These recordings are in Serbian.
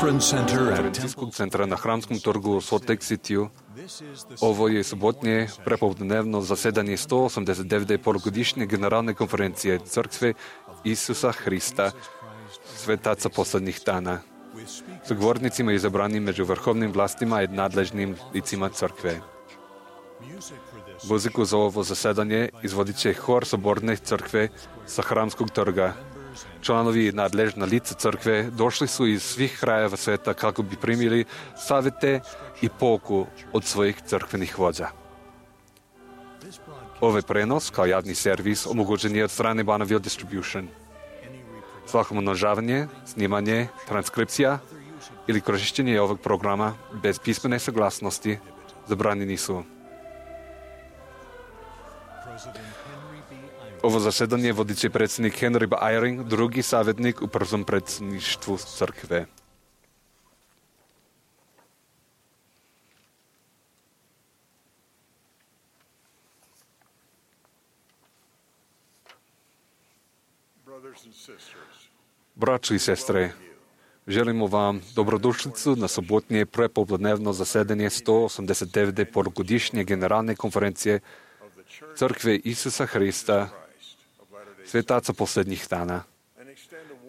конференcijskog centra na Hramskom trgu u Salt Lake City. Ovo je subotnje prepodnevno zasedanje 189. polugodišnje generalne konferencije Crkve Isusa Hrista, svetaca posljednjih dana, s govornicima izabranim među vrhovnim vlastima i nadležnim licima Crkve. Muziku za ovo zasedanje izvodit će hor Soborne Crkve sa Hramskog trga. Članovi i nadležna lica Crkve došli su iz svih krajeva sveta kako bi primili savjete i pouku od svojih crkvenih vođa. Ovaj prenos kao javni servis omogućen je od strane Bonneville Distribution. Svako umnožavanje, snimanje, transkripcija ili korištenje ovog programa bez pismene saglasnosti zabranjeni su. Ovo zasedanje vodit će predsjednik Henry B. Eyring, drugi savjetnik u prvom predsjedništvu Crkve. Braćo i sestre, želimo vam dobrodošlicu na sobotnje prepodnevno zasedanje 189. polugodišnje generalne konferencije Crkve Isusa Hrista, svetaca posljednjih dana.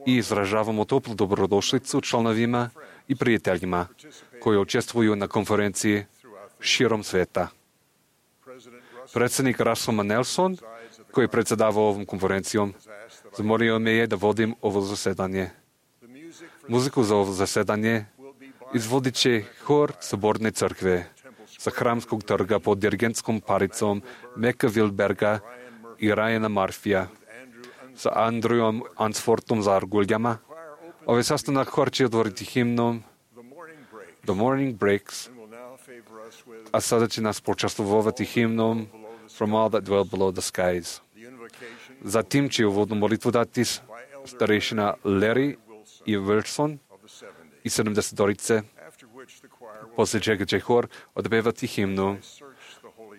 I izražavamo toplu dobrodošlicu članovima i prijateljima koji učestvuju na konferenciji širom sveta. Predsjednik Russell Nelson, koji je predsjedavao ovom konferencijom, zamolio me je da vodim ovo zasedanje. Muziku za ovo zasedanje izvodit će hor Soborne Crkve sa Hramskog trga pod dirigentskom paricom Meka Wilberga i Ryana Murphyja sa Andrewom Ansfortom za arguljama. Ovaj sastanak hor će otvoriti himnom The Morning Breaks, a sada će nas počastvovati himnom From All That Dwell Below the Skies. Zatim će uvodnu molitvu dati starešina Larry i Wilson i 70-orice, poslije čega će hor odpevati himnu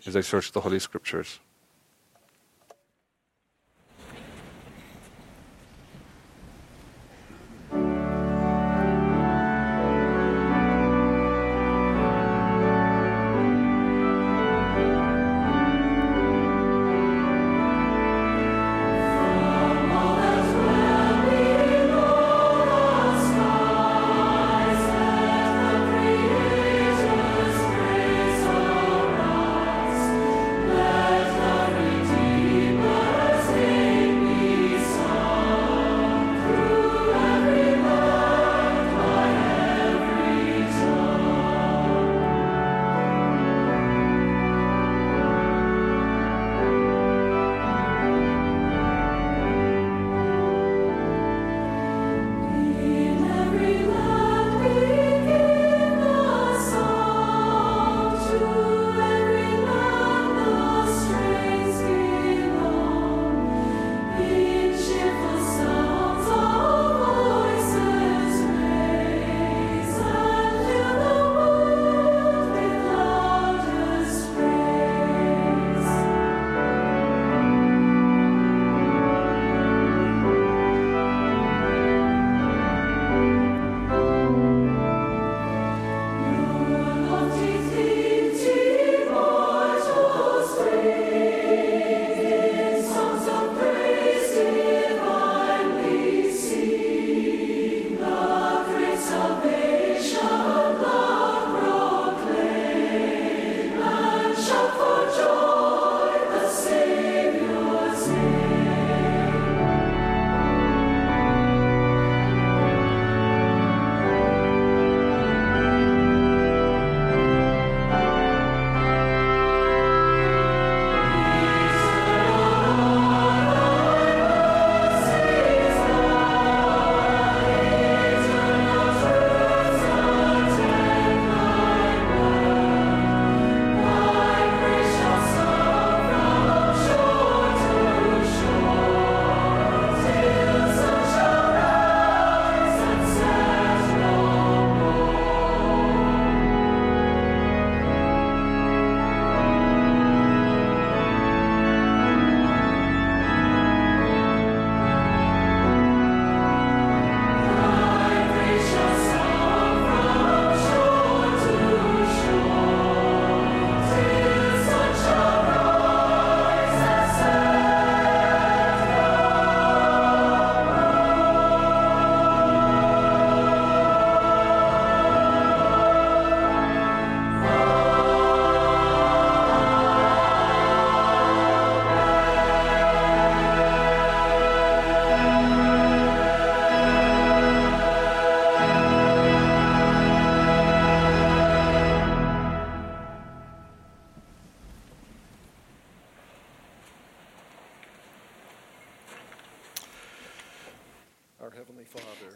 As I Search the Holy Scriptures. Let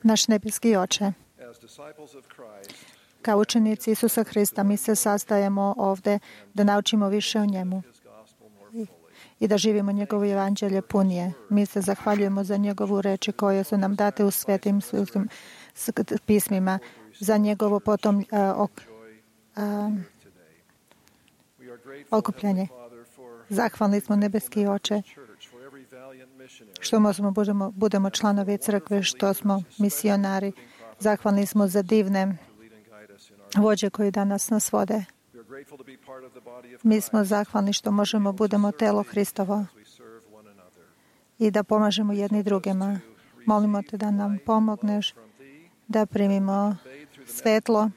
Naš nebeski Oče, kao učenici Isusa Hrista, mi se sastajemo ovde da naučimo više o njemu i da živimo njegovo evanđelje punije. Mi se zahvaljujemo za njegovu reči koje su nam date u svetim pismima, za njegovo potom okupljanje. Zahvalni smo, nebeski Oče, što budemo članovi crkve, što smo misionari. Zahvalni smo za divne vođe koji danas nas vode. Mi smo zahvalni što možemo budemo telo Hristovo i da pomažemo jedni drugima. Molimo te da nam pomogneš da primimo svetlo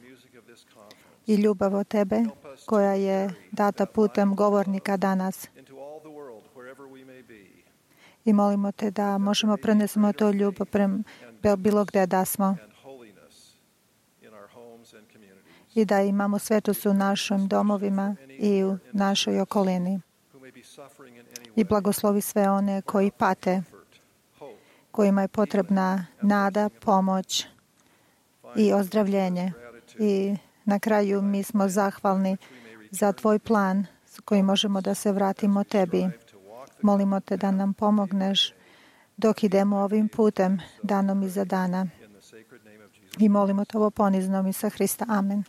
i ljubav od tebe koja je data putem govornika danas. I molimo te da možemo prenesemo to ljubav bilo gde da smo i da imamo svetost u našim domovima i u našoj okolini. I blagoslovi sve one koji pate, kojima je potrebna nada, pomoć i ozdravljenje. I na kraju mi smo zahvalni za tvoj plan s kojim možemo da se vratimo tebi. Molimo te da nam pomogneš dok idemo ovim putem, danom iza dana. I molimo te ovo poniznom Isusa Hrista. Amen.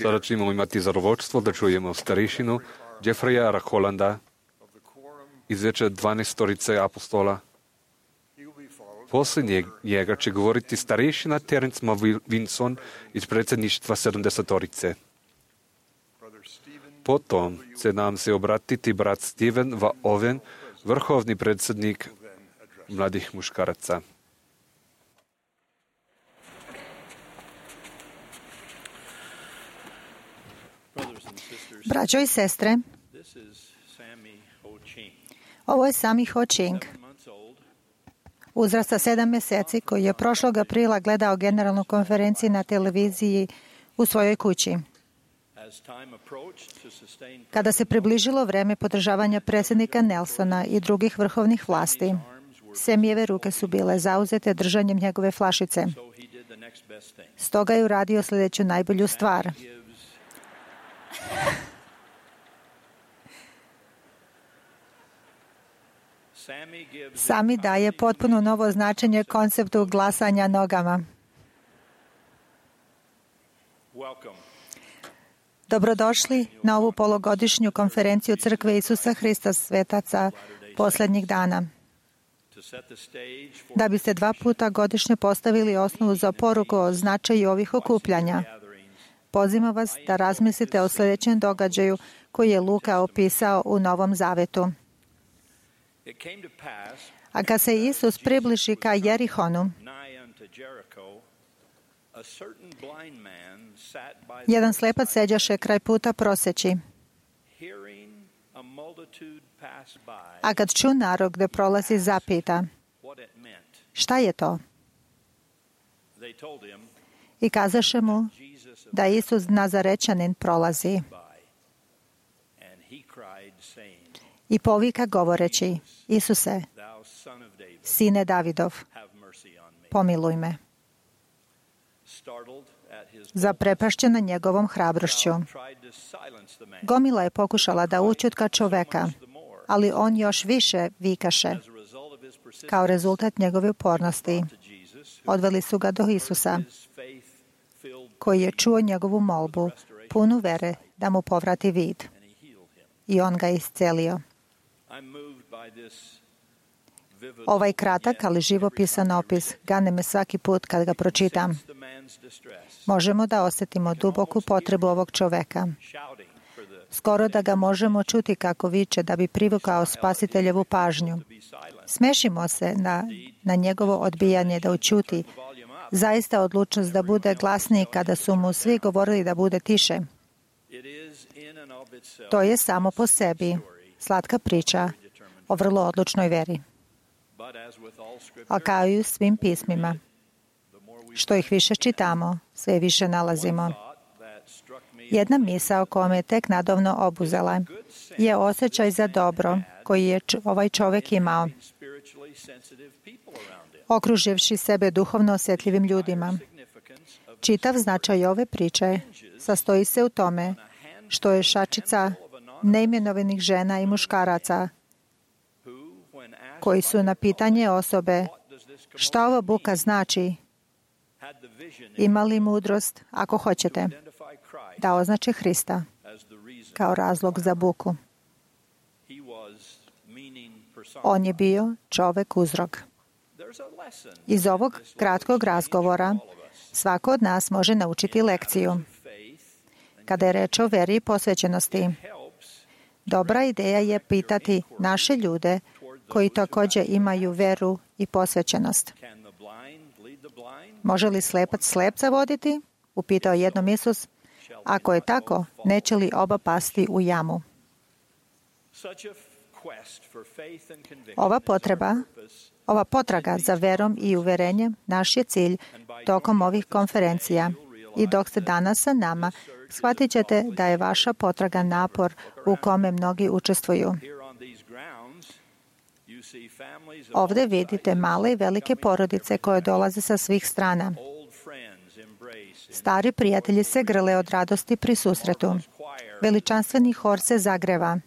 Sada ćemo imati zadovoljstvo da čujemo starešinu Jeffreya Holanda iz Veća 12 apostola. Poslije njega će govoriti starešina Terence Vinson iz predsjedništva 70. Potom će nam se obratiti brat Steven Va Owen, vrhovni predsjednik mladih muškaraca. Braćo i sestre, ovo je Sammy Ho Ching, uzrasta 7 mjeseci, koji je prošlog aprila gledao generalnu konferenciju na televiziji u svojoj kući. Kada se približilo vreme podržavanja predsjednika Nelsona i drugih vrhovnih vlasti, Semijeve ruke su bile zauzete držanjem njegove flašice. Stoga je uradio sljedeću najbolju stvar. Sami daje potpuno novo značenje konceptu glasanja nogama. Dobrodošli na ovu polugodišnju konferenciju Crkve Isusa Hrista svetaca posljednjih dana. Da biste 2 puta godišnje postavili osnovu za poruku o značaju ovih okupljanja, pozivam vas da razmislite o sljedećem događaju koji je Luka opisao u Novom Zavetu. A kad se Isus približi ka Jerihonu, jedan slepac seđaše kraj puta proseći. A kad ču narod gde prolazi, zapita: šta je to? I kazaše mu da Isus Nazarečanin prolazi. I povika govoreći: Isuse, sine Davidov, pomiluj me. Zaprepašćena njegovom hrabrošću, gomila je pokušala da ućutka čoveka, ali on još više vikaše. Kao rezultat njegove upornosti, odveli su ga do Isusa, koji je čuo njegovu molbu, punu vere da mu povrati vid. I on ga iscelio. Ovaj kratak, ali živopisan opis gane me svaki put kad ga pročitam. Možemo da osjetimo duboku potrebu ovog čoveka. Skoro da ga možemo čuti kako viče da bi privukao spasiteljevu pažnju. Smešimo se na njegovo odbijanje da ućuti. Zaista odlučnost da bude glasniji kada su mu svi govorili da bude tiše. To je samo po sebi slatka priča o vrlo odlučnoj veri. A kao i u svim pismima, što ih više čitamo, sve više nalazimo. Jedna misao koja me tek nadovno obuzela je osjećaj za dobro koji je ovaj čovjek imao, okruživši sebe duhovno osjetljivim ljudima. Čitav značaj ove priče sastoji se u tome što je šačica neimenovanih žena i muškaraca koji su na pitanje osobe šta ova buka znači imali mudrost, ako hoćete, da označe Hrista kao razlog za buku. On je bio čovek uzrok. Iz ovog kratkog razgovora svako od nas može naučiti lekciju. Kada je reč o veri i posvećenosti, dobra ideja je pitati naše ljude koji također imaju veru i posvećenost. Može li slepac slepca voditi? Upitao jednom Isus. Ako je tako, neće li oba pasti u jamu? Ova potraga za verom i uverenjem naš je cilj tokom ovih konferencija. I dok ste danas sa nama, shvatit ćete da je vaša potraga napor u kome mnogi učestvuju. Ovdje vidite male i velike porodice koje dolaze sa svih strana. Stari prijatelji se grle od radosti pri susretu. Veličanstveni hor se zagreva,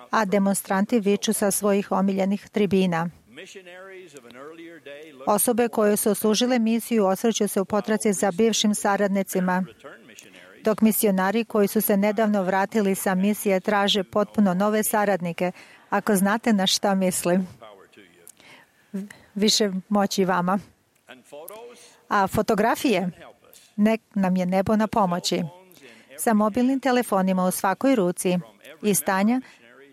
a demonstranti viču sa svojih omiljenih tribina. Osobe koje su oslužile misiju osvrću se u potraci za bivšim saradnicima, dok misionari koji su se nedavno vratili sa misije traže potpuno nove saradnike. Ako znate na šta mislim, više moći vama. A fotografije, nek nam je nebo na pomoći. Sa mobilnim telefonima u svakoj ruci i stanja,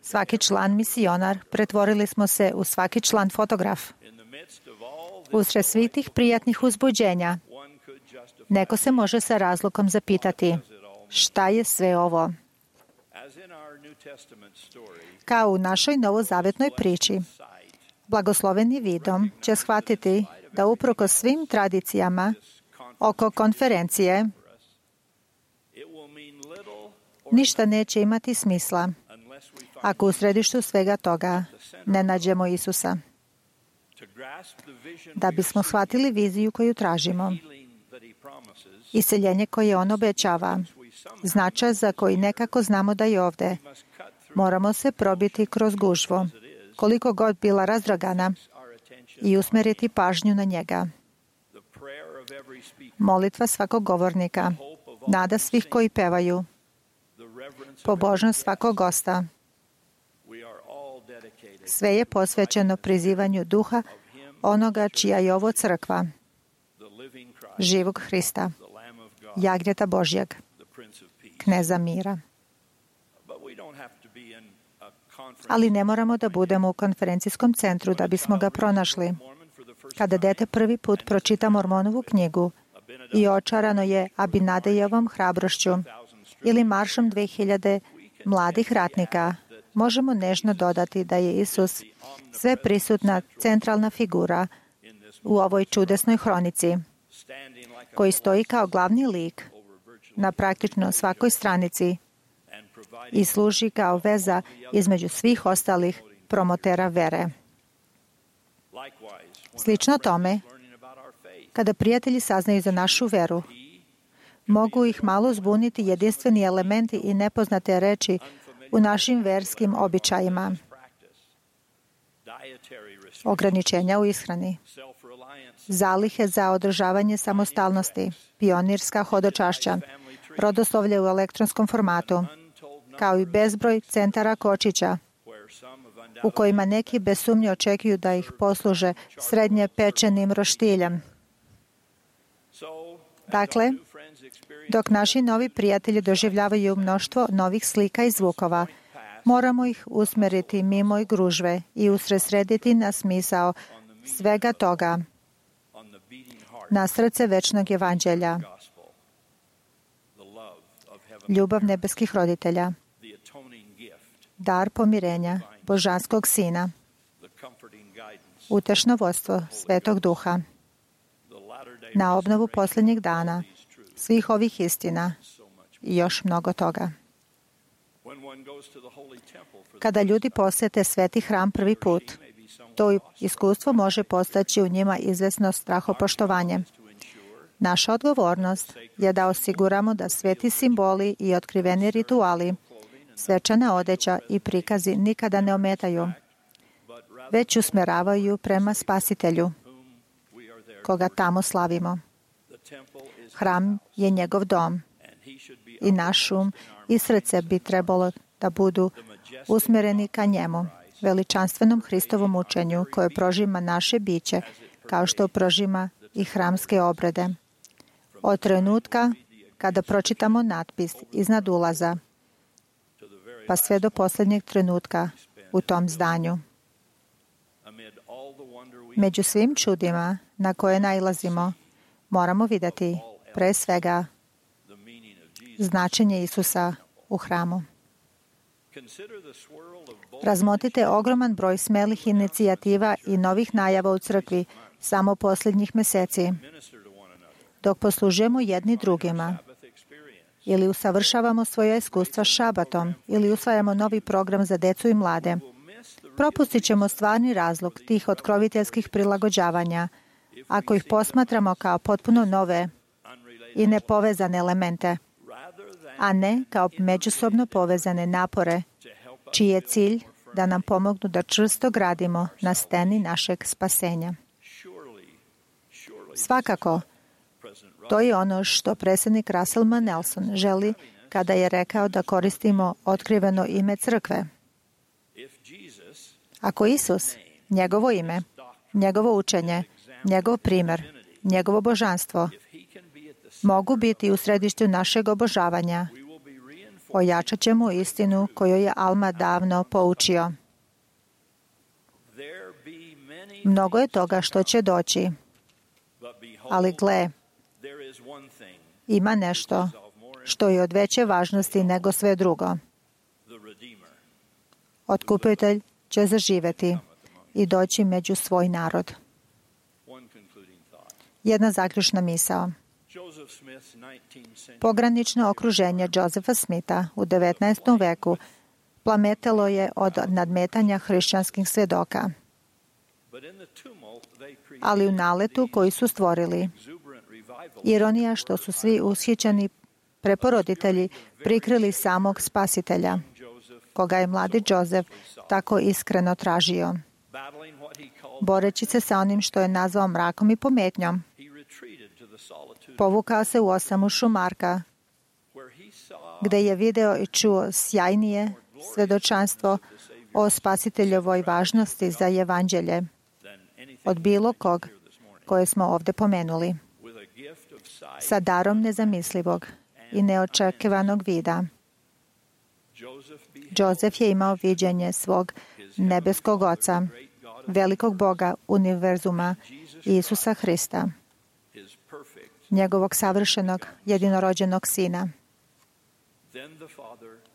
svaki član misionar, pretvorili smo se u svaki član fotograf. Usred svih tih prijatnih uzbuđenja, neko se može sa razlogom zapitati, šta je sve ovo? Kao u našoj novozavetnoj priči, blagosloveni vidom će shvatiti da uprkos svim tradicijama oko konferencije ništa neće imati smisla ako u središtu svega toga ne nađemo Isusa. Da bismo shvatili viziju koju tražimo, iseljenje koje on obećava, značaj za koji nekako znamo da je ovde, moramo se probiti kroz gužvu, koliko god bila razdragana, i usmeriti pažnju na njega. Molitva svakog govornika, nada svih koji pevaju, pobožnost svakog gosta. Sve je posvećeno prizivanju duha onoga čija je ovo crkva, živog Hrista, jagnjeta Božjeg, kneza mira. Ali ne moramo da budemo u konferencijskom centru da bismo ga pronašli. Kada dete prvi put pročita Mormonovu knjigu i očarano je Abinadejevom hrabrošću ili maršom 2000 mladih ratnika, možemo nežno dodati da je Isus sve prisutna centralna figura u ovoj čudesnoj hronici, koji stoji kao glavni lik na praktično svakoj stranici i služi kao veza između svih ostalih promotera vere. Slično tome, kada prijatelji saznaju za našu veru, mogu ih malo zbuniti jedinstveni elementi i nepoznate reči u našim verskim običajima. Ograničenja u ishrani, zalihe za održavanje samostalnosti, pionirska hodočašća, rodoslovlje u elektronskom formatu, kao i bezbroj centara kočića, u kojima neki bez sumnje očekuju da ih posluže srednje pečenim roštiljem. Dakle, dok naši novi prijatelji doživljavaju mnoštvo novih slika i zvukova, moramo ih usmeriti mimo i gružve i usredsrediti na smisao svega toga, na srce večnog evanđelja, ljubav nebeskih roditelja, dar pomirenja Božanskog Sina, utešno vodstvo Svetog Duha, na obnovu posljednjeg dana, svih ovih istina i još mnogo toga. Kada ljudi posete Sveti hram prvi put, to iskustvo može postaći u njima izvesno strahopoštovanje. Naša odgovornost je da osiguramo da sveti simboli i otkriveni rituali, svečana odeća i prikazi nikada ne ometaju, već usmeravaju prema Spasitelju, koga tamo slavimo. Hram je njegov dom i naš um i srce bi trebalo da budu usmereni ka njemu, veličanstvenom Hristovom učenju koje prožima naše biće, kao što prožima i hramske obrede. Od trenutka kada pročitamo natpis iznad ulaza, pa sve do posljednjeg trenutka u tom zdanju. Među svim čudima na koje nailazimo, moramo vidjeti pre svega značenje Isusa u hramu. Razmotrite ogroman broj smelih inicijativa i novih najava u crkvi samo posljednjih meseci, dok poslužujemo jedni drugima, ili usavršavamo svoje iskustva šabatom, ili usvajamo novi program za decu i mlade. Propustit ćemo stvarni razlog tih otkroviteljskih prilagođavanja ako ih posmatramo kao potpuno nove i nepovezane elemente, a ne kao međusobno povezane napore, čiji je cilj da nam pomognu da čvrsto gradimo na steni našeg spasenja. Svakako, to je ono što predsjednik Russell M. Nelson želi kada je rekao da koristimo otkriveno ime crkve. Ako Isus, njegovo ime, njegovo učenje, njegov primjer, njegovo božanstvo mogu biti u središtu našeg obožavanja, ojačat ćemo istinu koju je Alma davno poučio. Mnogo je toga što će doći, ali gle, ima nešto što je od veće važnosti nego sve drugo. Otkupitelj će zaživeti i doći među svoj narod. Jedna zaključna misao. Pogranično okruženje Josepha Smitha u 19. veku plametalo je od nadmetanja hrišćanskih svjedoka. Ali u naletu koji su stvorili, ironija što su svi ushićeni preporoditelji prikrili samog spasitelja, koga je mladi Joseph tako iskreno tražio. Boreći se sa onim što je nazvao mrakom i pometnjom, povukao se u osamu šumarka, gde je video i čuo sjajnije svedočanstvo o spasiteljovoj važnosti za evanđelje od bilo kog koje smo ovdje pomenuli. Sa darom nezamislivog i neočekivanog vida, Joseph je imao viđenje svog nebeskog Oca, velikog Boga univerzuma, Isusa Hrista, njegovog savršenog jedinorođenog Sina.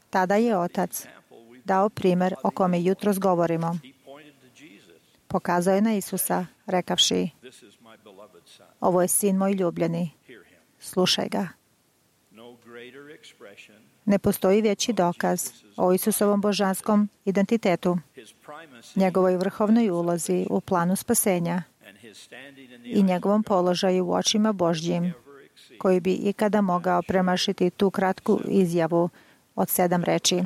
Tada je Otac dao primjer o kome jutros govorimo. Pokazao je na Isusa, rekavši: ovo je Sin moj ljubljeni, slušaj ga. Ne postoji veći dokaz o Isusovom božanskom identitetu, njegovoj vrhovnoj ulozi u planu spasenja i njegovom položaju u očima Božjim, koji bi ikada mogao premašiti tu kratku izjavu od 7 reči.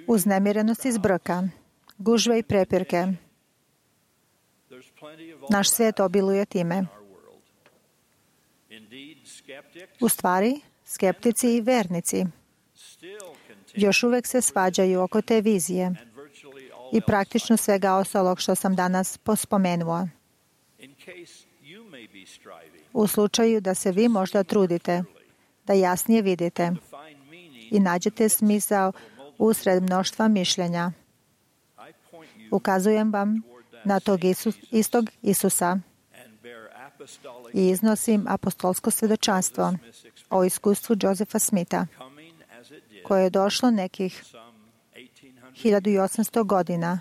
Uznemirenost i zbrka, gužve i prepirke. Naš svijet obiluje time. U stvari, skeptici i vernici još uvek se svađaju oko te vizije i praktično svega ostalog što sam danas pospomenuo. U slučaju da se vi možda trudite da jasnije vidite i nađete smisao usred mnoštva mišljenja, ukazujem vam na tog istog Isusa i iznosim apostolsko svjedočanstvo o iskustvu Josepha Smitha, koje je došlo nekih 1800 godina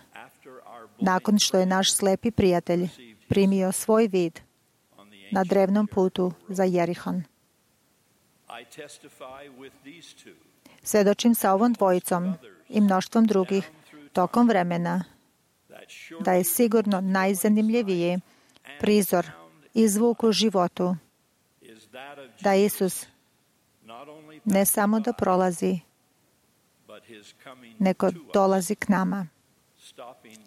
nakon što je naš slepi prijatelj primio svoj vid na drevnom putu za Jerihon. Svjedočim sa ovom dvojicom i mnoštvom drugih tokom vremena da je sigurno najzanimljiviji prizor i zvuk u životu da Isus ne samo da prolazi, nego dolazi k nama,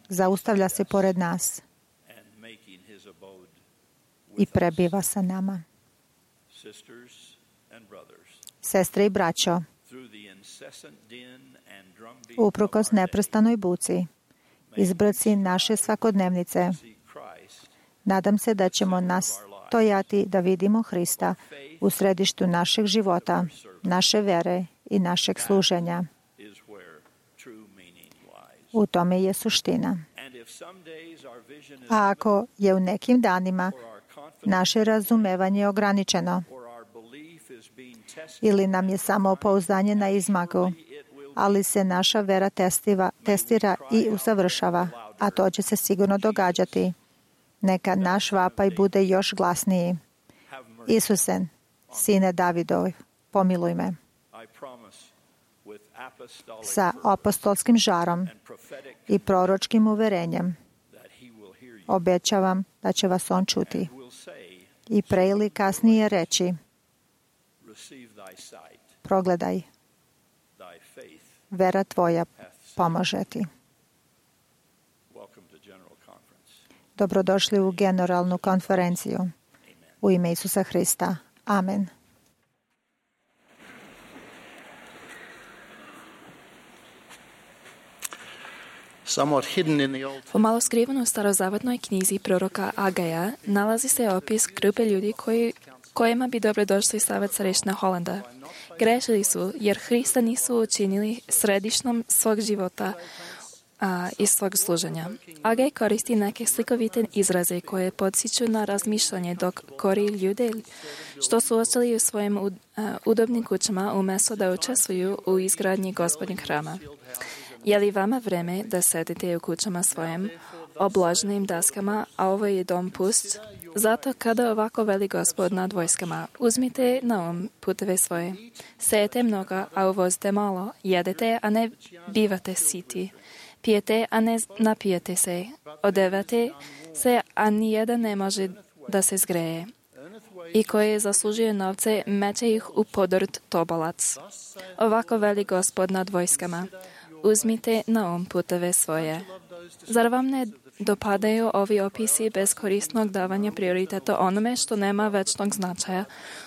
zaustavlja se pored nas i prebiva sa nama. Sestre i braćo, uprkos neprestanoj buci, izbrci naše svakodnevnice, nadam se da ćemo nastojati da vidimo Hrista u središtu našeg života, naše vere i našeg služenja. U tome je suština. A ako je u nekim danima naše razumevanje ograničeno ili nam je samopouzdanje na izmaku, ali se naša vera testira i usavršava, a to će se sigurno događati, neka naš vapaj bude još glasniji. Isuse, Sine Davidov, pomiluj me. Sa apostolskim žarom i proročkim uverenjem obećavam da će vas on čuti i pre ili kasnije reći: progledaj, vera tvoja pomaže ti. Dobrodošli u generalnu konferenciju. U ime Isusa Hrista. Amen. Pomalo skriveno u starozavetnoj knjizi proroka Agaja nalazi se opis grupe ljudi kojima bi dobrodošli savjet starešina Holanda. Grešili su jer Hrista nisu učinili središnom svog života i svog služenja. Agaj koristi neke slikovite izraze koje podsjeću na razmišljanje dok kori ljude što su ostali u svojim udobnim kućama umjesto da učestvuju u izgradnji Gospodnjeg hrama. Je li vama vreme da sedite u kućama svojim obloženim daskama, a ovo je dom pust? Zato kada ovako veli Gospod nad vojskama, uzmite na puteve svoje. Sejete mnogo, a uvozite malo. Jedete, a ne bivate siti. Pijete, a ne napijete se. Odevate se, a nijedan ne može da se zgreje. I koji zaslužuje novce, meće ih u podrt tobolac. Ovako veli Gospod nad vojskama. Uzmite na puteve svoje. Zar vam ne dopadaju ovi opisi beskorisnog davanja prioriteta onome što nema večnog značaja,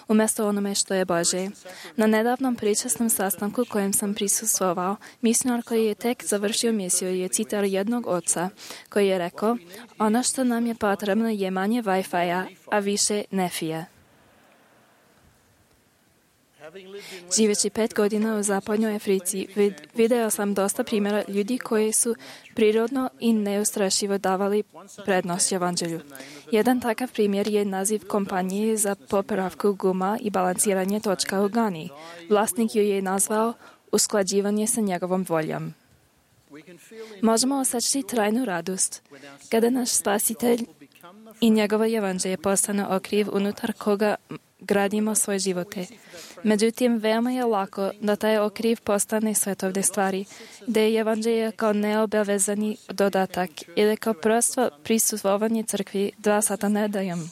umjesto onome što je Božje? Na nedavnom pričasnom sastanku kojem sam prisustvovao, misionar koji je tek završio misiju je citar jednog oca koji je rekao: ono što nam je potrebno je manje Wi-Fi-a, a više nefije. Živeći 5 godina u zapadnoj Africi, video sam dosta primjera ljudi koji su prirodno i neustrašivo davali prednost evanđelju. Jedan takav primjer je naziv kompanije za popravku guma i balansiranje točka u Gani. Vlasnik ju je nazvao usklađivanje sa njegovom voljom. Možemo osjećati trajnu radost kada naš Spasitelj i njegovo evanđelje postane okriv unutar koga gradimo svoje živote. Međutim, veoma je lako da taj okriv postane svetovne stvari, da je evanđelje kao neobavezani dodatak ili kao prosto prisustvovanje crkvi 2 sata nedeljom.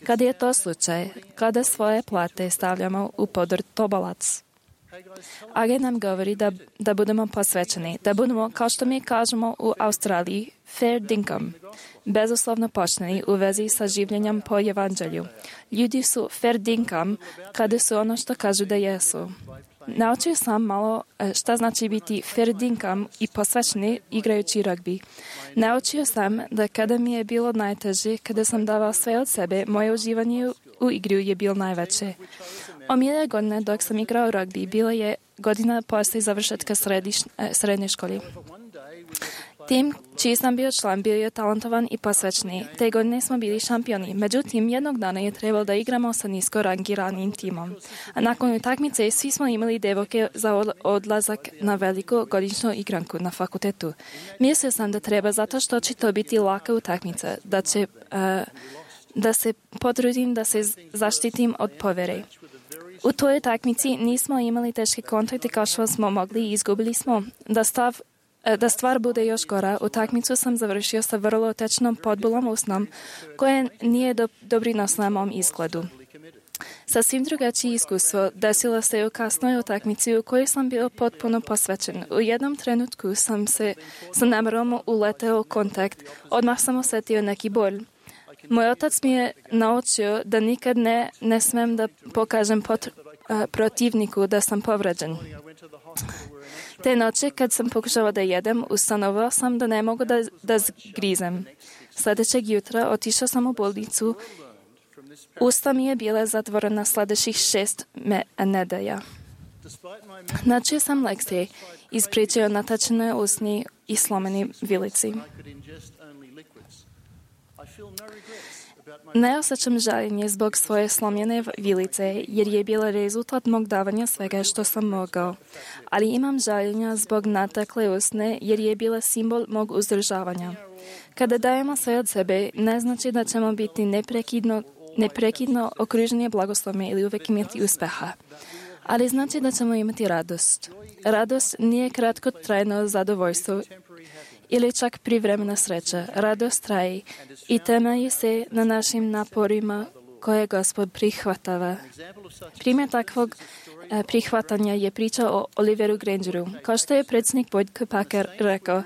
Kada je to slučaj, kada svoje plate stavljamo u podrt tobolac. Agaj nam govori da budemo posvećeni, da budemo, kao što mi kažemo u Australiji, fair dinkum, bezuslovno pošteni u vezi sa življenjem po evanđelju. Ljudi su fair dinkum kada su ono što kažu da jesu. Naučio sam malo šta znači biti fair dinkum i posvećeni igrajući rugby. Naučio sam da kada mi je bilo najteže, kada sam davao sve od sebe, moje uživanje u igru je bilo najveće. Omiljene godine dok sam igrao rugby bila je godina poslije završetka srednje škole. Tim čiji sam bio član bio je talentovan i posvećeni. Te godine smo bili šampioni. Međutim, jednog dana je trebalo da igramo sa nisko rangiranim timom. A nakon utakmice svi smo imali devojke za odlazak na veliku godišnju igranku na fakultetu. Mislio sam da treba zato što će to biti laka utakmica, da se potrudim da se zaštitim od povere. U toj utakmici nismo imali teške kontakte kao što smo mogli i izgubili smo. Da stvar bude još gora, utakmicu sam završio sa vrlo tečnom podbolom usnom, koje nije doprinosila mom izgledu. Sasvim drugačije iskustvo desilo se u kasnoj utakmici u kojoj sam bio potpuno posvećen. U jednom trenutku sam se sa namerom uleteo u kontakt. Odmah sam osjetio neki bol. Moj otac mi je naučio da nikad ne smem da pokažem protivniku da sam povređen. Te noće, kad sam pokušao da jedem, ustanovao sam da ne mogu da zgrizem. Sljedećeg jutra otišao sam u bolnicu. Usta mi je bila zatvorena sljedećih 6 nedelja. Načio sam lekcije, ispričao natačene usni i slomeni vilici. Ne osjećam žaljenje zbog svoje slomljene vilice, jer je bila rezultat mog davanja svega što sam mogao. Ali imam žaljenja zbog natakle usne, jer je bila simbol mog uzdržavanja. Kada dajemo sve od sebe, ne znači da ćemo biti neprekidno okruženi blagoslovima ili uvijek imati uspeha. Ali znači da ćemo imati radost. Radost nije kratkotrajno zadovoljstvo ili čak privremena sreća. Radost traje i temelji se na našim naporima koje Gospod prihvatava. Primjer takvog prihvatanja je priča o Oliveru Grangeru. Kao što je predsjednik Boyd K. Packer rekao,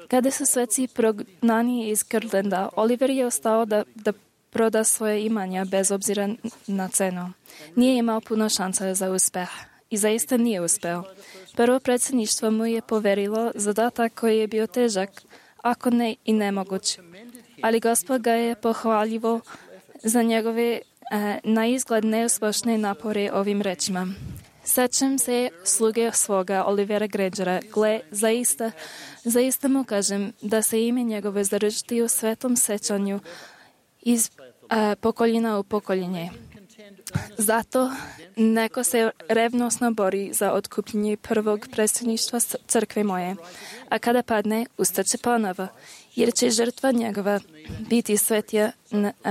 kada su sveci prognani iz Kirtlanda, Oliver je ostao da proda svoje imanja bez obzira na cenu. Nije imao puno šansa za uspeh i zaista nije uspeo. Prvo predsjedništvo mu je poverilo zadatak koji je bio težak, ako ne i nemoguć. Ali Gospod ga je pohvaljivo za njegove na izgled neuspješne napore ovim rečima. Sećam se sluge svoga Olivera Grangera. Gle, zaista mu kažem da se ime njegove zaručiti u svetom sećanju iz pokoljena u pokoljenje. Zato neko se revnosno bori za otkupljenje prvog predsjedništva crkve moje, a kada padne, ustaće ponovo, jer će žrtva njegova biti svetija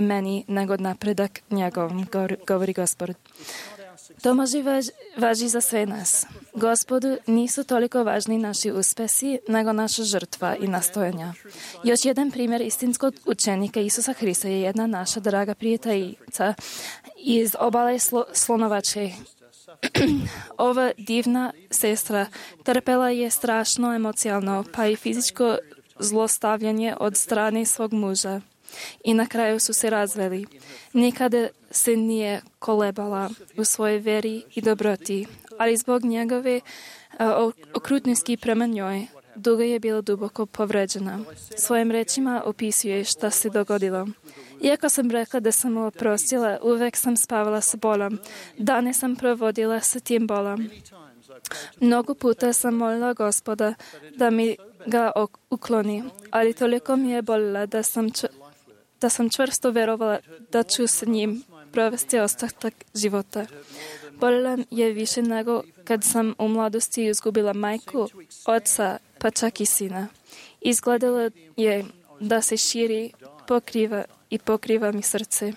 meni nego napredak njegovom, govori Gospod. To može važi za sve nas. Gospodu nisu toliko važni naši uspesi, nego naša žrtva i nastojanja. Još jedan primjer istinskog učenika Isusa Hrista je jedna naša draga prijateljica iz obale Slonovače. Ova divna sestra trpela je strašno emocionalno, pa i fizičko zlostavljanje od strane svog muža. I na kraju su se razveli. Nikada se nije kolebala u svojoj veri i dobroti, ali zbog njegove okrutnosti prema njoj, dugo je bila duboko povređena. Svojim rečima opisuje šta se dogodilo. Iako sam rekla da sam mu oprostila, uvek sam spavala sa bolom. Dane sam provodila sa tim bolom. Mnogo puta sam molila Gospoda da mi ga ukloni, ali toliko mi je bolila da sam čvrsto verovala da ću s njim provesti ostatak života. Bolila je više nego kad sam u mladosti izgubila majku, oca, pa čak i sina. Izgledalo je da se širi, pokriva mi srce.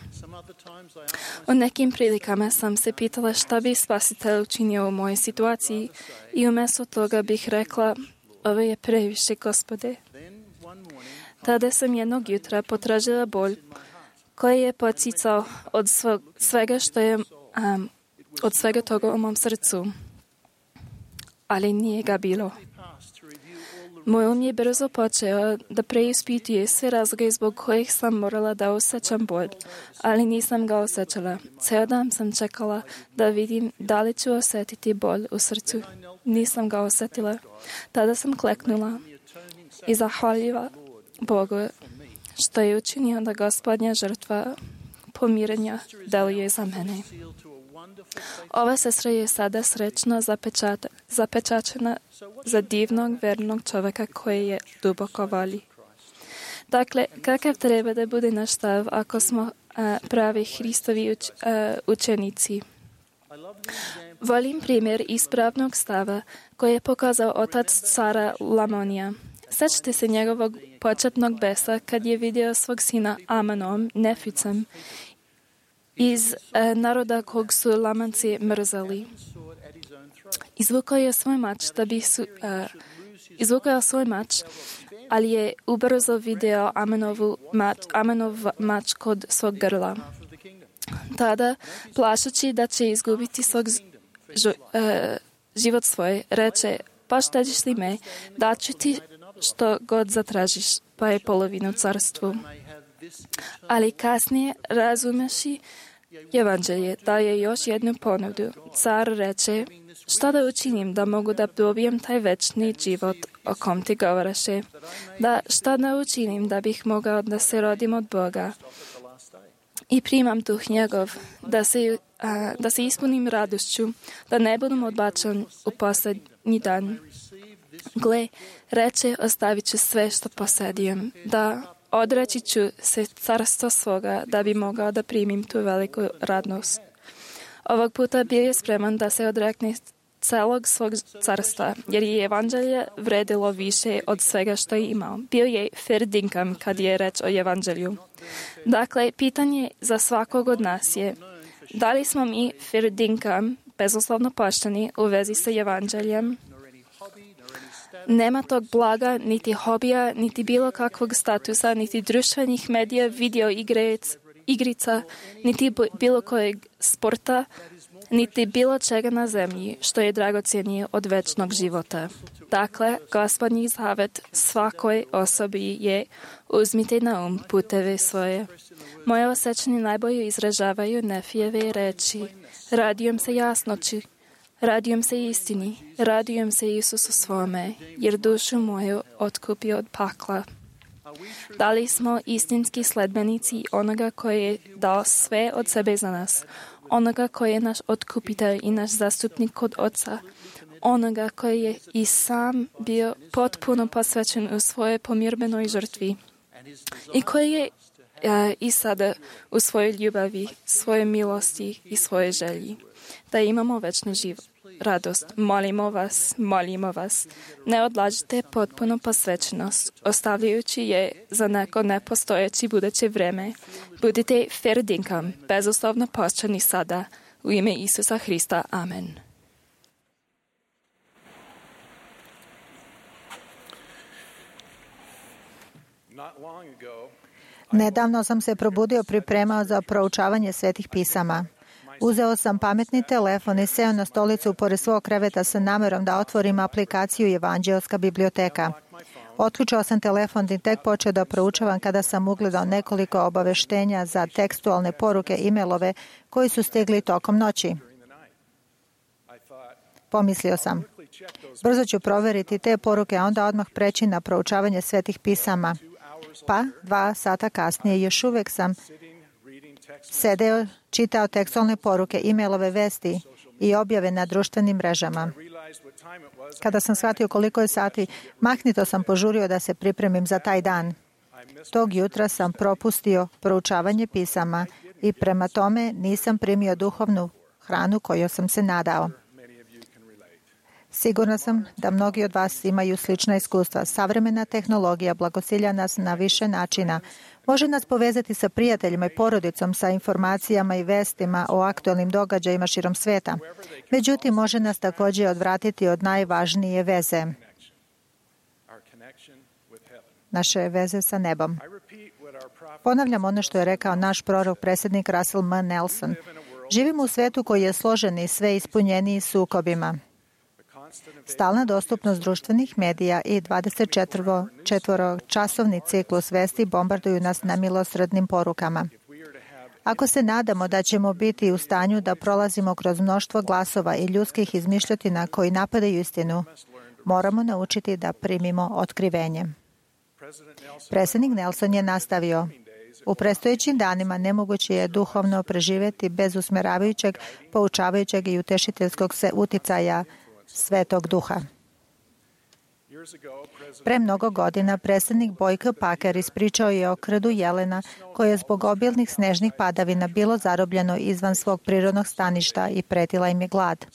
U nekim prilikama sam se pitala šta bi Spasitelj učinio u mojoj situaciji i umjesto toga bih rekla, ovo je previše, Gospode. Tada sam jednog jutra potražila bolj koji je poticao od svega što je od svega toga u mom srcu. Ali nije ga bilo. Moj um je brzo počeo da preispituje sve razloge zbog kojih sam morala da osjećam bolj, ali nisam ga osjećala. Ceo dan sam čekala da vidim da li ću osjetiti bolj u srcu. Nisam ga osjetila. Tada sam kleknula i zahvaljiva Bogu što je učinio da Gospodnja žrtva pomirenja deluje za mene. Ova sestra je sada srećno zapečačena za divnog, vernog čovjeka koji je duboko voli. Dakle, kakav treba da bude naš stav ako smo pravi Hristovi učenici? Volim primjer ispravnog stava koji je pokazao otac cara Lamonija. Sećate se njegovog početnog besa kad je vidio svog sina Amanom, Neficem, iz naroda kog su Lamanci mrzali. Izvukao je svoj mač, ali je ubrzo video Amanov mač kod svog grla. Tada, plašući da će izgubiti svog život svoj, reče, pa štediš li me, daću ti što god zatražiš, pa je polovinu carstvu. Ali kasnije, razumeši Evanđelje, daje još jednu ponudu. Car reče, šta da učinim da mogu da dobijem taj večni život o kom ti govaraše? Šta da učinim da bih mogao da se rodim od Boga? I primam duh njegov, da se ispunim radošću, da ne budem odbačen u posljednji dan. Gle, reče, ostavit ću sve što posjedujem, da odreći ću se carstva svoga da bi mogao da primim tu veliku radnost. Ovog puta bio je spreman da se odrekne celog svog carstva, jer je evanđelje vredilo više od svega što je imao. Bio je ferdinkam kad je reč o evanđelju. Dakle, pitanje za svakog od nas je, da li smo mi ferdinkam, bezuslovno pošteni u vezi sa evanđeljem? Nema tog blaga, niti hobija, niti bilo kakvog statusa, niti društvenih medija, video igre, igrica, niti bilo kojeg sporta, niti bilo čega na zemlji, što je dragocjenije od večnog života. Dakle, Gospodnji zavet svakoj osobi je: uzmite na puteve svoje. Moje osjećanje najbolje izražavaju Nefijeve reči: radujem se jasnoći, radujem se istini, radujem se Isusu svome, jer dušu moju otkupio od pakla. Da li smo istinski sledbenici onoga koji je dao sve od sebe za nas, onoga koji je naš otkupitelj i naš zastupnik kod Oca, onoga koji je i sam bio potpuno posvećen u svojoj pomirbenoj žrtvi i koji je i sada u svojoj ljubavi, svojoj milosti i svojoj želji, da imamo večnu radost. Molimo vas, ne odlažite potpuno posvećenost, ostavljajući je za neko nepostojeći buduće vreme. Budite ferdinkom, bezuslovno posvećeni sada, u ime Isusa Hrista. Amen. Nedavno sam se probudio, pripremao za proučavanje svetih pisama. Uzeo sam pametni telefon i seo na stolicu pored svog kreveta sa namerom da otvorim aplikaciju Evanđeoska biblioteka. Otključao sam telefon i tek počeo da proučavam kada sam ugledao nekoliko obaveštenja za tekstualne poruke e-mailove koji su stigli tokom noći. Pomislio sam, brzo ću proveriti te poruke, a onda odmah preći na proučavanje svetih pisama. Pa, 2 sata kasnije, još uvijek sam sedeo, čitao tekstualne poruke, e-mailove vesti i objave na društvenim mrežama. Kada sam shvatio koliko je sati, mahnito sam požurio da se pripremim za taj dan. Tog jutra sam propustio proučavanje pisama i prema tome nisam primio duhovnu hranu koju sam se nadao. Sigurna sam da mnogi od vas imaju slična iskustva. Savremena tehnologija blagosilja nas na više načina. Može nas povezati sa prijateljima i porodicom, sa informacijama i vestima o aktualnim događajima širom sveta. Međutim, može nas također odvratiti od najvažnije veze. Naše veze sa nebom. Ponavljam ono što je rekao naš prorok, predsjednik Russell M. Nelson. Živimo u svetu koji je složen i sve ispunjeniji sukobima. Stalna dostupnost društvenih medija i 24-časovni ciklus vesti bombarduju nas nemilosrdnim porukama. Ako se nadamo da ćemo biti u stanju da prolazimo kroz mnoštvo glasova i ljudskih izmišljotina koji napadaju istinu, moramo naučiti da primimo otkrivenje. Predsjednik Nelson je nastavio: u predstojećim danima nemoguće je duhovno preživjeti bez usmjeravajućeg, poučavajućeg i utešiteljskog uticaja Svetog Duha. Pre mnogo godina predsjednik Boyke Packer ispričao je o krdu jelena koje je zbog obilnih snežnih padavina bilo zarobljeno izvan svog prirodnog staništa i pretila im je glad.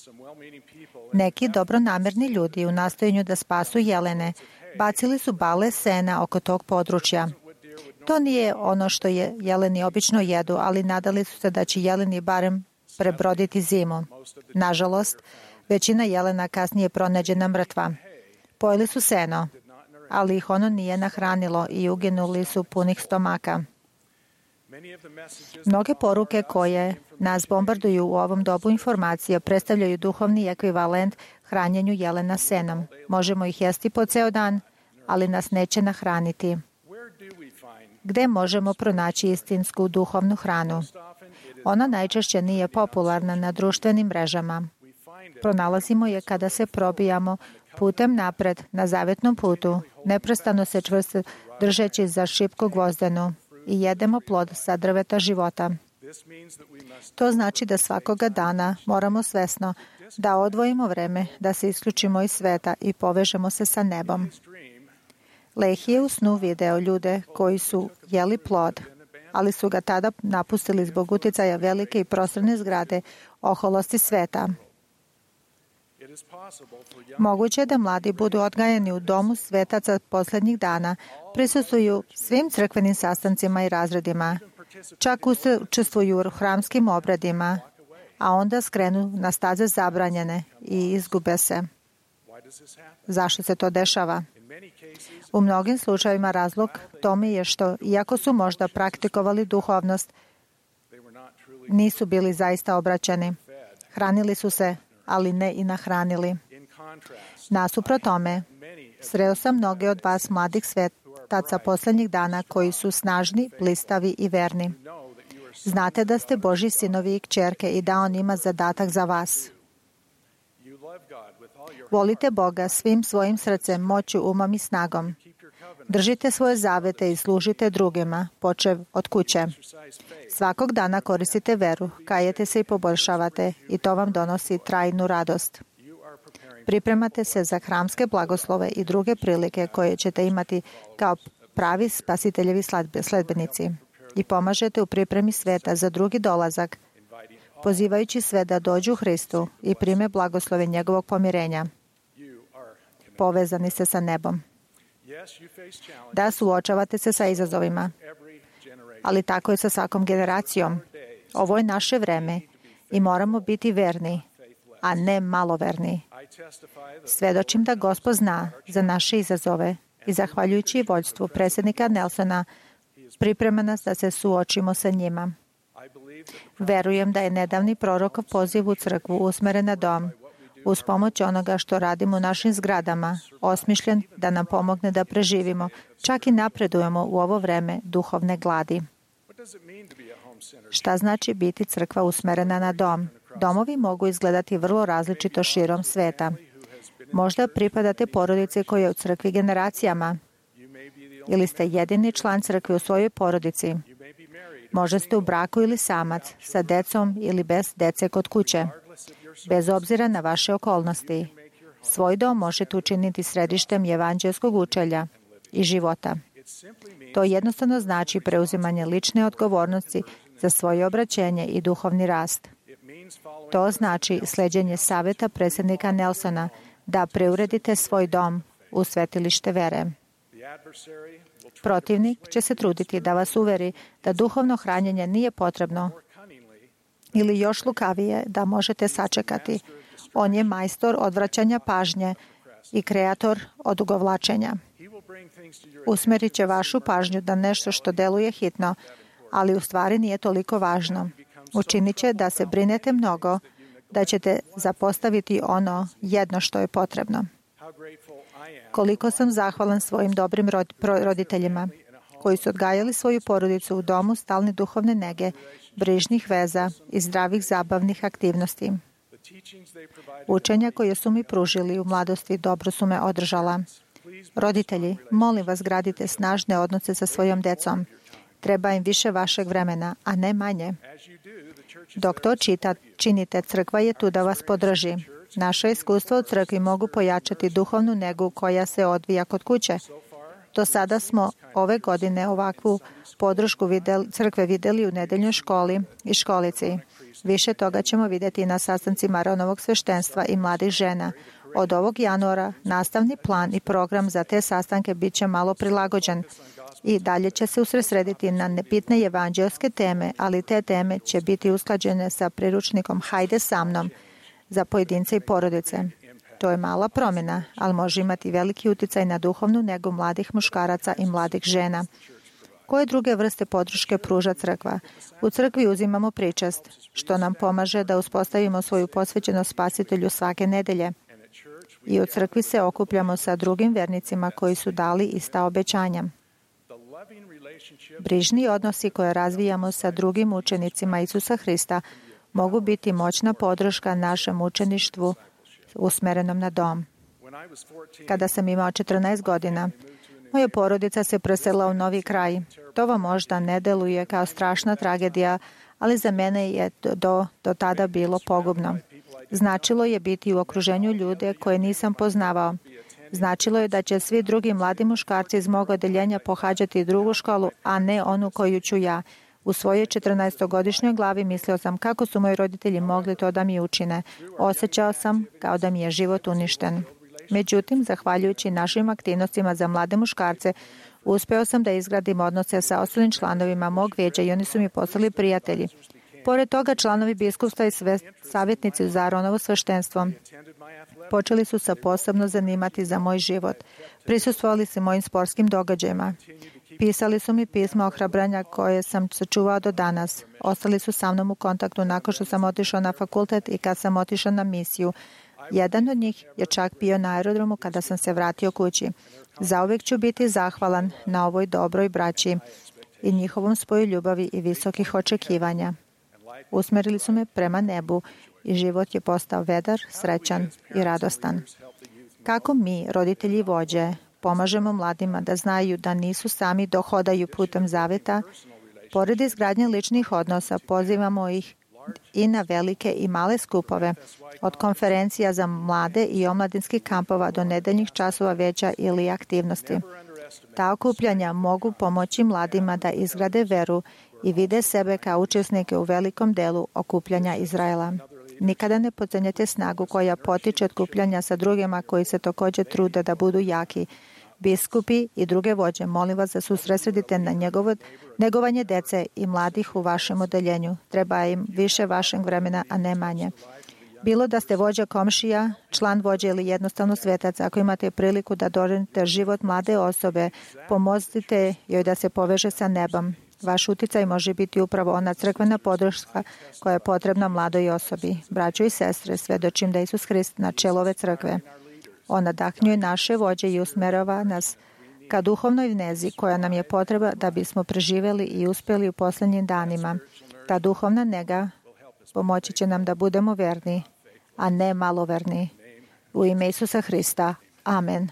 Neki dobronamerni ljudi u nastojanju da spasu jelene bacili su bale sena oko tog područja. To nije ono što jeleni obično jedu, ali nadali su se da će jeleni barem prebroditi zimu. Nažalost, većina jelena kasnije pronađena mrtva. Pojeli su seno, ali ih ono nije nahranilo i uginuli su punih stomaka. Mnoge poruke koje nas bombarduju u ovom dobu informacija predstavljaju duhovni ekvivalent hranjenju jelena senom. Možemo ih jesti po ceo dan, ali nas neće nahraniti. Gde možemo pronaći istinsku duhovnu hranu? Ona najčešće nije popularna na društvenim mrežama. Pronalazimo je kada se probijamo putem napred na zavetnom putu, neprestano se čvrsto držeći za šipku gvozdenu i jedemo plod sa drveta života. To znači da svakoga dana moramo svesno da odvojimo vreme, da se isključimo iz sveta i povežemo se sa nebom. Lehi je u snu video ljude koji su jeli plod, ali su ga tada napustili zbog uticaja velike i prostorne zgrade oholosti sveta. Moguće je da mladi budu odgajani u domu svetaca posljednjih dana, prisustvuju svim crkvenim sastancima i razredima, čak učestvuju u hramskim obradima, a onda skrenu na staze zabranjene i izgube se. Zašto se to dešava? U mnogim slučajevima razlog tome je što, iako su možda praktikovali duhovnost, Nisu bili zaista obraćeni. Hranili su se, ali ne i nahranili. Nasuprot tome, sreo sam mnoge od vas mladih svetaca posljednjih dana koji su snažni, blistavi i verni. Znate da ste Božji sinovi i kćerke i da On ima zadatak za vas. Volite Boga svim svojim srcem, moću, umom i snagom. Držite svoje zavete i služite drugima, počev od kuće. Svakog dana koristite veru, kajete se i poboljšavate i to vam donosi trajnu radost. Pripremate se za hramske blagoslove i druge prilike koje ćete imati kao pravi spasiteljevi sledbenici i pomažete u pripremi sveta za drugi dolazak, pozivajući sve da dođu Hristu i prime blagoslove njegovog pomirenja. Povezani ste sa nebom. Da, suočavate se sa izazovima, ali tako je sa svakom generacijom. Ovo je naše vreme i moramo biti verni, a ne maloverni. Svedočim da Gospod zna za naše izazove i zahvaljujući vođstvu predsjednika Nelsona priprema nas da se suočimo sa njima. Verujem da je nedavni prorokov poziv u crkvu usmeren na dom, uz pomoć onoga što radimo u našim zgradama, osmišljen da nam pomogne da preživimo, čak i napredujemo u ovo vreme duhovne gladi. Šta znači biti crkva usmerena na dom? Domovi mogu izgledati vrlo različito širom sveta. Možda pripadate porodici koja je u crkvi generacijama, ili ste jedini član crkve u svojoj porodici. Možda ste u braku ili samac, sa decom ili bez dece kod kuće. Bez obzira na vaše okolnosti, svoj dom možete učiniti središtem evanđelskog učenja i života. To jednostavno znači preuzimanje lične odgovornosti za svoje obraćenje i duhovni rast. To znači sleđenje savjeta predsjednika Nelsona da preuredite svoj dom u svetilište vere. Protivnik će se truditi da vas uveri da duhovno hranjenje nije potrebno ili još lukavije da možete sačekati. On je majstor odvraćanja pažnje i kreator odugovlačenja. Usmerit će vašu pažnju da nešto što deluje hitno, ali u stvari nije toliko važno. Učinit će da se brinete mnogo, da ćete zapostaviti ono jedno što je potrebno. Koliko sam zahvalan svojim dobrim roditeljima koji su odgajali svoju porodicu u domu stalne duhovne nege, brižnih veza i zdravih zabavnih aktivnosti. Učenja koje su mi pružili u mladosti dobro su me održala. Roditelji, molim vas, gradite snažne odnose sa svojom decom. Treba im više vašeg vremena, a ne manje. Dok to činite, crkva je tu da vas podrži. Naše iskustva u crkvi mogu pojačati duhovnu negu koja se odvija kod kuće. Do sada smo ove godine ovakvu podršku crkve vidjeli u nedeljnoj školi i školici. Više toga ćemo vidjeti na sastancima Aronovog sveštenstva i mladih žena. Od ovog januara nastavni plan i program za te sastanke bit će malo prilagođen i dalje će se usredsrediti na nebitne evanđelske teme, ali te teme će biti usklađene sa priručnikom Hajde sa mnom za pojedince i porodice. To je mala promjena, ali može imati veliki utjecaj na duhovnu negu mladih muškaraca i mladih žena. Koje druge vrste podrške pruža crkva? U crkvi uzimamo pričest, što nam pomaže da uspostavimo svoju posvećenost Spasitelju svake nedelje. I u crkvi se okupljamo sa drugim vernicima koji su dali ista obećanja. Brižni odnosi koje razvijamo sa drugim učenicima Isusa Hrista mogu biti moćna podrška našem učeništvu usmerenom na dom. Kada sam imao 14 godina, moja porodica se preselila u novi kraj. To vam možda ne deluje kao strašna tragedija, ali za mene je do tada bilo pogubno. Značilo je biti u okruženju ljude koje nisam poznavao. Značilo je da će svi drugi mladi muškarci iz mog odeljenja pohađati drugu školu, a ne onu koju ću ja. U svojoj 14-godišnjoj glavi mislio sam kako su moji roditelji mogli to da mi učine. Osjećao sam kao da mi je život uništen. Međutim, zahvaljujući našim aktivnostima za mlade muškarce, uspeo sam da izgradim odnose sa ostalim članovima mog vijeća i oni su mi postali prijatelji. Pored toga, članovi biskupstva i savjetnici za Aronovo sveštenstvo počeli su se posebno zanimati za moj život. Prisustvovali su mojim sportskim događajima. Pisali su mi pisma ohrabranja koje sam sačuvao do danas. Ostali su sa mnom u kontaktu nakon što sam otišao na fakultet i kad sam otišao na misiju. Jedan od njih je čak bio na aerodromu kada sam se vratio kući. Zauvijek ću biti zahvalan na ovoj dobroj braći i njihovom spoju ljubavi i visokih očekivanja. Usmerili su me prema nebu i život je postao vedar, srećan i radostan. Kako mi, roditelji i vođe, pomažemo mladima da znaju da nisu sami dok hodaju putem zaveta, pored izgradnje ličnih odnosa pozivamo ih i na velike i male skupove, od konferencija za mlade i omladinskih kampova do nedeljnih časova veća ili aktivnosti. Ta okupljanja mogu pomoći mladima da izgrade veru i vide sebe kao učesnike u velikom delu okupljanja Izraela. Nikada ne podcenjujte snagu koja potiče od okupljanja sa drugima koji se također trude da budu jaki. Biskupi i druge vođe, molim vas da se usredsredite na negovanje dece i mladih u vašem odeljenju. Treba im više vašeg vremena, a ne manje. Bilo da ste vođa komšija, član vođe ili jednostavno svetac, ako imate priliku da doživite život mlade osobe, pomozite joj da se poveže sa nebom. Vaš uticaj može biti upravo ona crkvena podrška koja je potrebna mladoj osobi. Braćo i sestre, svedočim da je Isus Hrist na čelu ove crkve. On nadahnjuje naše vođe i usmerava nas ka duhovnoj vnezi koja nam je potreba da bismo preživjeli i uspjeli u posljednjim danima. Ta duhovna nega pomoći će nam da budemo verni, a ne maloverni. U ime Isusa Hrista. Amen.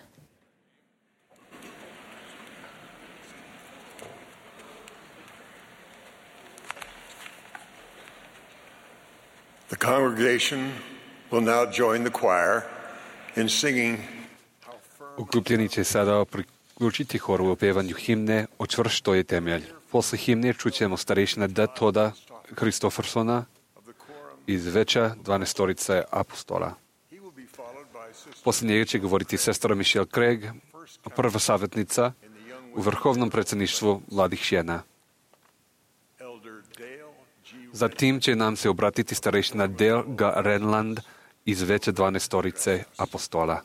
The congregation will now join the choir in singing. Okupljeni će sada priključiti horu u pjevanju himne O čvrsto je temelj. Posle himne čućemo starešina D. Toda Kristofersona iz Veća 12 apostola. Posle njega će govoriti sestra Michelle Craig, prva savjetnica u vrhovnom predsjedništvu mladih žena. Zatim će nam se obratiti starešina Dale G. Renland iz Veća 12 apostola.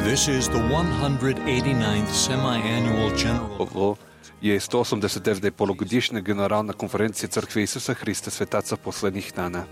This is the 189th semi-annual general. Ovo je 189. polugodišnja generalna konferencija Crkve Isusa Hrista svetaca poslednjih dana.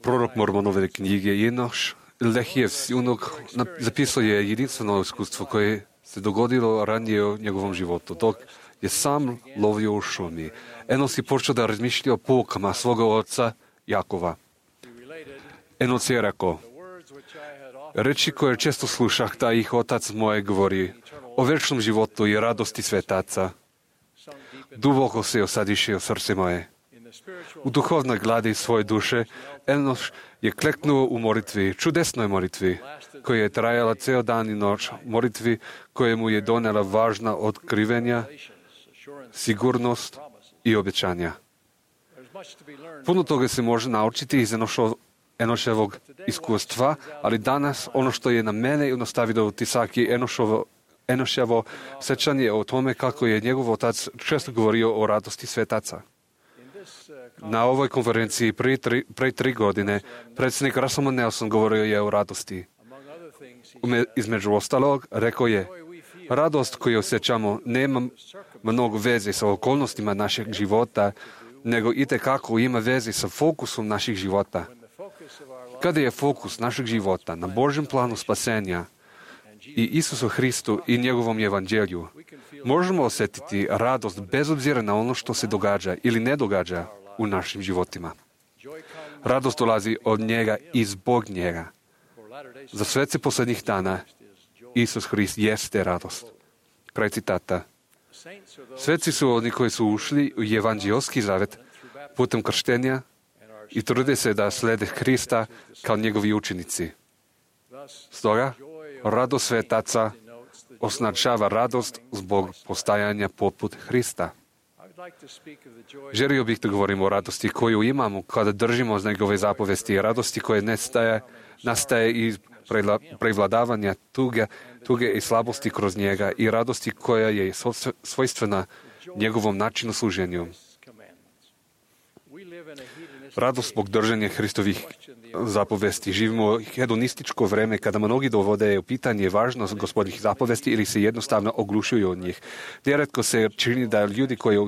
Prorok Mormonove knjige Enoš Lehije Siunog zapisao je jedinstveno iskustvo koje se dogodilo ranije u njegovom životu, dok je sam lovio u šumi. Enos je počeo da razmišlja o poukama svoga oca Jakova. Enos je rekao, reči koje često slušah, da ih otac moje govori, o večnom životu i radosti svetaca. Duboko se osadiše u srce moje. U duhovnoj gladi svoje duše, Enoš je kleknuo u molitvi, čudesnoj molitvi, koja je trajala ceo dan i noć, molitvi koja mu je donela važna otkrivenja, sigurnost i obećanja. Puno toga se može naučiti iz Enoševog iskustva, ali danas ono što je na mene nastavilo utisak je Enoševo sećanje o tome kako je njegov otac često govorio o radosti svetaca. Na ovoj konferenciji pre 3 godine predsjednik Russell Nelson govorio je o radosti. Između ostalog, rekao je, radost koju osjećamo nema mnogo veze sa okolnostima našeg života, nego itekako ima veze sa fokusom naših života. Kada je fokus našeg života na Božjem planu spasenja i Isusu Hristu i njegovom evanđelju, možemo osjetiti radost bez obzira na ono što se događa ili ne događa u našim životima. Radost dolazi od njega i zbog njega. Za svece posljednjih dana Isus Hrist jeste radost. Kraj citata. Sveci su oni koji su ušli u evanđelski zavet putem krštenja i trude se da slede Hrista kao njegovi učenici. Stoga, radost svetaca označava radost zbog postajanja poput Hrista. Želio bih da govorim o radosti koju imamo kada držimo za njegove zapovesti, radosti koje nastaje iz prevladavanja tuge i slabosti kroz njega i radosti koja je svojstvena njegovom načinu služenju. Radost zbog držanja Hristovih zapovesti. Živimo u hedonističko vreme kada mnogi dovode u pitanje važnost Gospodnjih zapovesti ili se jednostavno oglušuju od njih. Nerijetko se čini da ljudi koji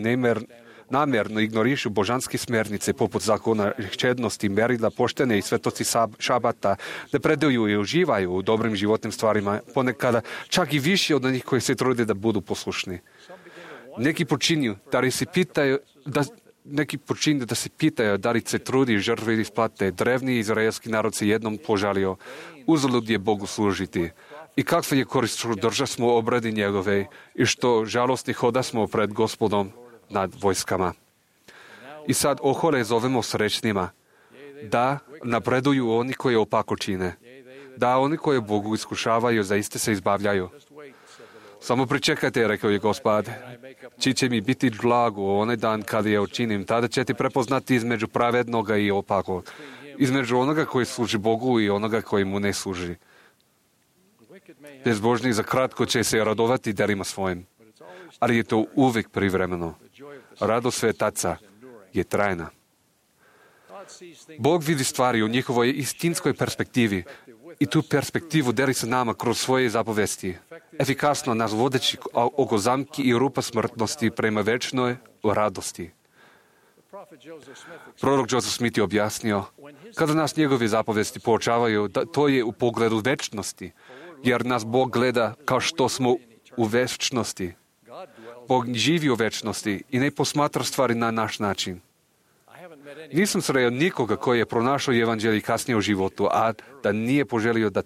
namjerno ignorišu božanske smjernice poput zakona čednosti, merila, poštene i svetosti šabata, da predaju i uživaju u dobrim životnim stvarima, ponekada čak i više od onih koji se trude da budu poslušni. Neki počinju da se pitaju da li se trudi žrtve isplate. Drevni izraelski narod se jednom požalio. Uzalud je Bogu služiti. I kakva je korist što drža smo obradi njegove i što žalostni hoda smo pred Gospodom nad vojskama. I sad ohole zovemo srećnima da napreduju oni koji opako čine. Da oni koji Bogu iskušavaju zaiste se izbavljaju. Samo pričekajte, rekao je Gospod, či će mi biti blago onaj dan kada je učinim, tada ćete prepoznati između pravednoga i opakog, između onoga koji služi Bogu i onoga koji mu ne služi. Bezbožnik za kratko će se radovati delima svojim, ali je to uvijek privremeno. Radost svetaca je trajna. Bog vidi stvari u njihovoj istinskoj perspektivi i tu perspektivu deli sa nama kroz svoje zapovesti, efikasno nas vodeći oko zamki i rupa smrtnosti prema večnoj radosti. Prorok Joseph Smith je objasnio, kada nas njegove zapovesti poučavaju, da to je u pogledu večnosti, jer nas Bog gleda kao što smo u večnosti. Bog živi u večnosti i ne posmatra stvari na naš način. Nisam sreo nikoga koji je pronašao evanđelje kasnije u životu, a da nije poželio da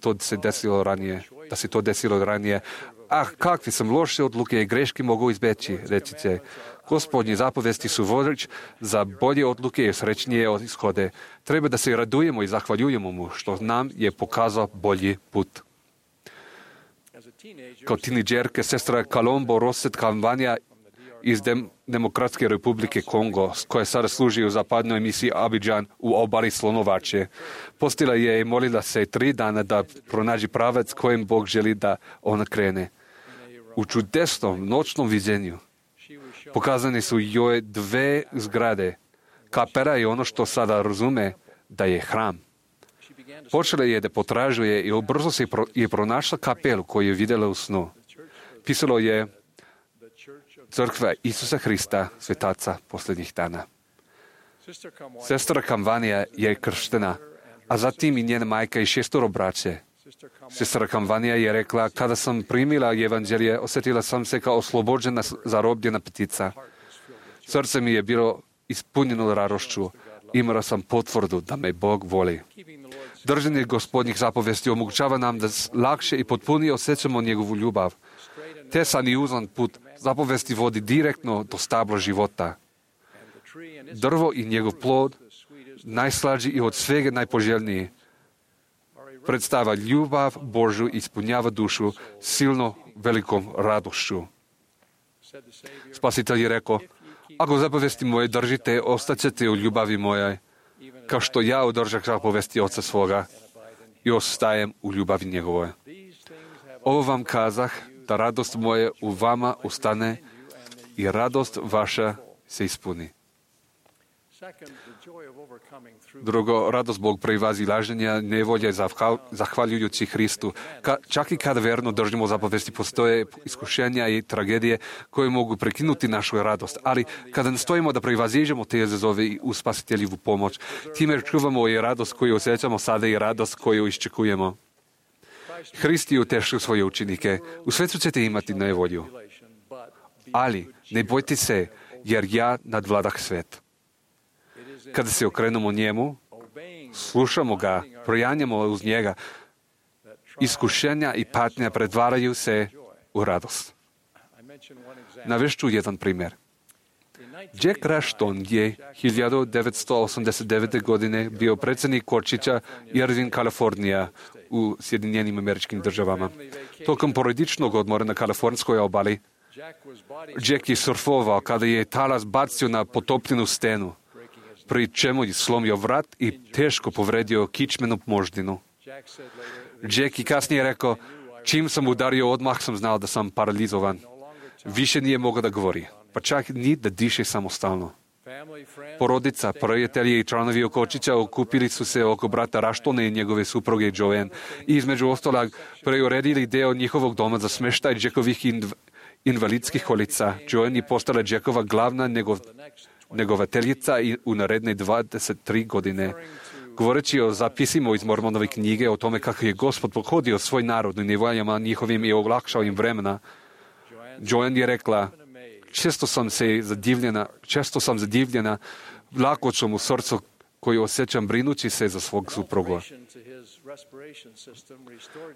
se to desilo ranije. Kakve sam loše odluke i greške mogu izbeći, recite. Gospodnje zapovesti su vodeč za bolje odluke i srećnije ishode. Treba da se radujemo i zahvaljujemo mu što nam je pokazao bolji put. Kao tinejdžerke sestra Kalombo Roset Kalvanja iz Demokratske republike Kongo, koja sada služi u zapadnoj misiji Abidjan u obali Slonovače. Postila je i molila se 3 dana da pronađi pravac kojim Bog želi da ona krene. U čudesnom noćnom viđenju pokazane su joj 2 zgrade. Kapela je ono što sada razume da je hram. Počela je da potražuje i brzo se je pronašla kapelu koju je vidjela u snu. Pisalo je Crkva Isusa Hrista, svetaca posljednjih dana. Sestra Kamvanija je krštena, a zatim i njena majka i 6 braće. Sestra Kamvanija je rekla, kada sam primila evanđelje, osjetila sam se kao oslobođena, zarobljena ptica. Srce mi je bilo ispunjeno radošću. Imala sam potvrdu da me Bog voli. Držanje Gospodnjih zapovesti omogućava nam da lakše i potpunije osjećamo njegovu ljubav. Tesan i uzan put zapovesti vodi direktno do stabla života. Drvo i njegov plod, najslađi i od svega najpoželjniji, predstava ljubav Božju i ispunjava dušu silno velikom radošću. Spasitelj je rekao, ako zapovesti moje držite, ostaćete u ljubavi mojoj, kao što ja održah zapovesti Oca svoga i ostajem u ljubavi njegovoj. Ovo vam kazah, da radost moje u vama ustane i radost vaša se ispuni. Drugo, radost Bog prevazilaženja nevolje zahvaljujući Hristu. Čak i kada verno držimo zapovesti, postoje iskušenja i tragedije koje mogu prekinuti našu radost. Ali kada nastojimo da prevaziđemo te izazove i u spasiteljivu pomoć, time čuvamo i radost koju osjećamo sada i radost koju iščekujemo. Hrist je utešio svoje učenike. U svetu ćete imati nevolju. Ali ne bojte se, jer ja nadvladah svet. Kada se okrenemo njemu, slušamo ga, projanjamo uz njega, iskušenja i patnja pretvaraju se u radost. Navešću jedan primjer. Jack Rushton je 1989. godine bio predsjednik kočića Irvine, Kalifornija u Sjedinjenim Američkim Državama. Tokom porodičnog odmora na kalifornskoj obali, Jack je surfovao kada je talas bacio na potopljenu stenu, pri čemu je slomio vrat i teško povredio kičmenu moždinu. Jack je kasnije rekao, čim sam udario odmah sam znao da sam paralizovan. Više nije mogao da govori, pa čak ni da diše samostalno. Porodica, prijatelji i članovi kočića okupili su se oko brata Rushtona i njegove supruge Joanne i između ostalog preuredili deo njihovog doma za smještaj Jackovih invalidskih kolica. Joanne je postala Jackova glavna negovateljica i u naredne 23 godine. Govoreći o zapisima iz Mormonove knjige o tome kako je Gospod pohodio svoj narod u nevoljama njihovim i olakšao im vremena, Joanne je rekla, često sam zadivljena lakoćom u srcu koju osjećam brinući se za svog supruga.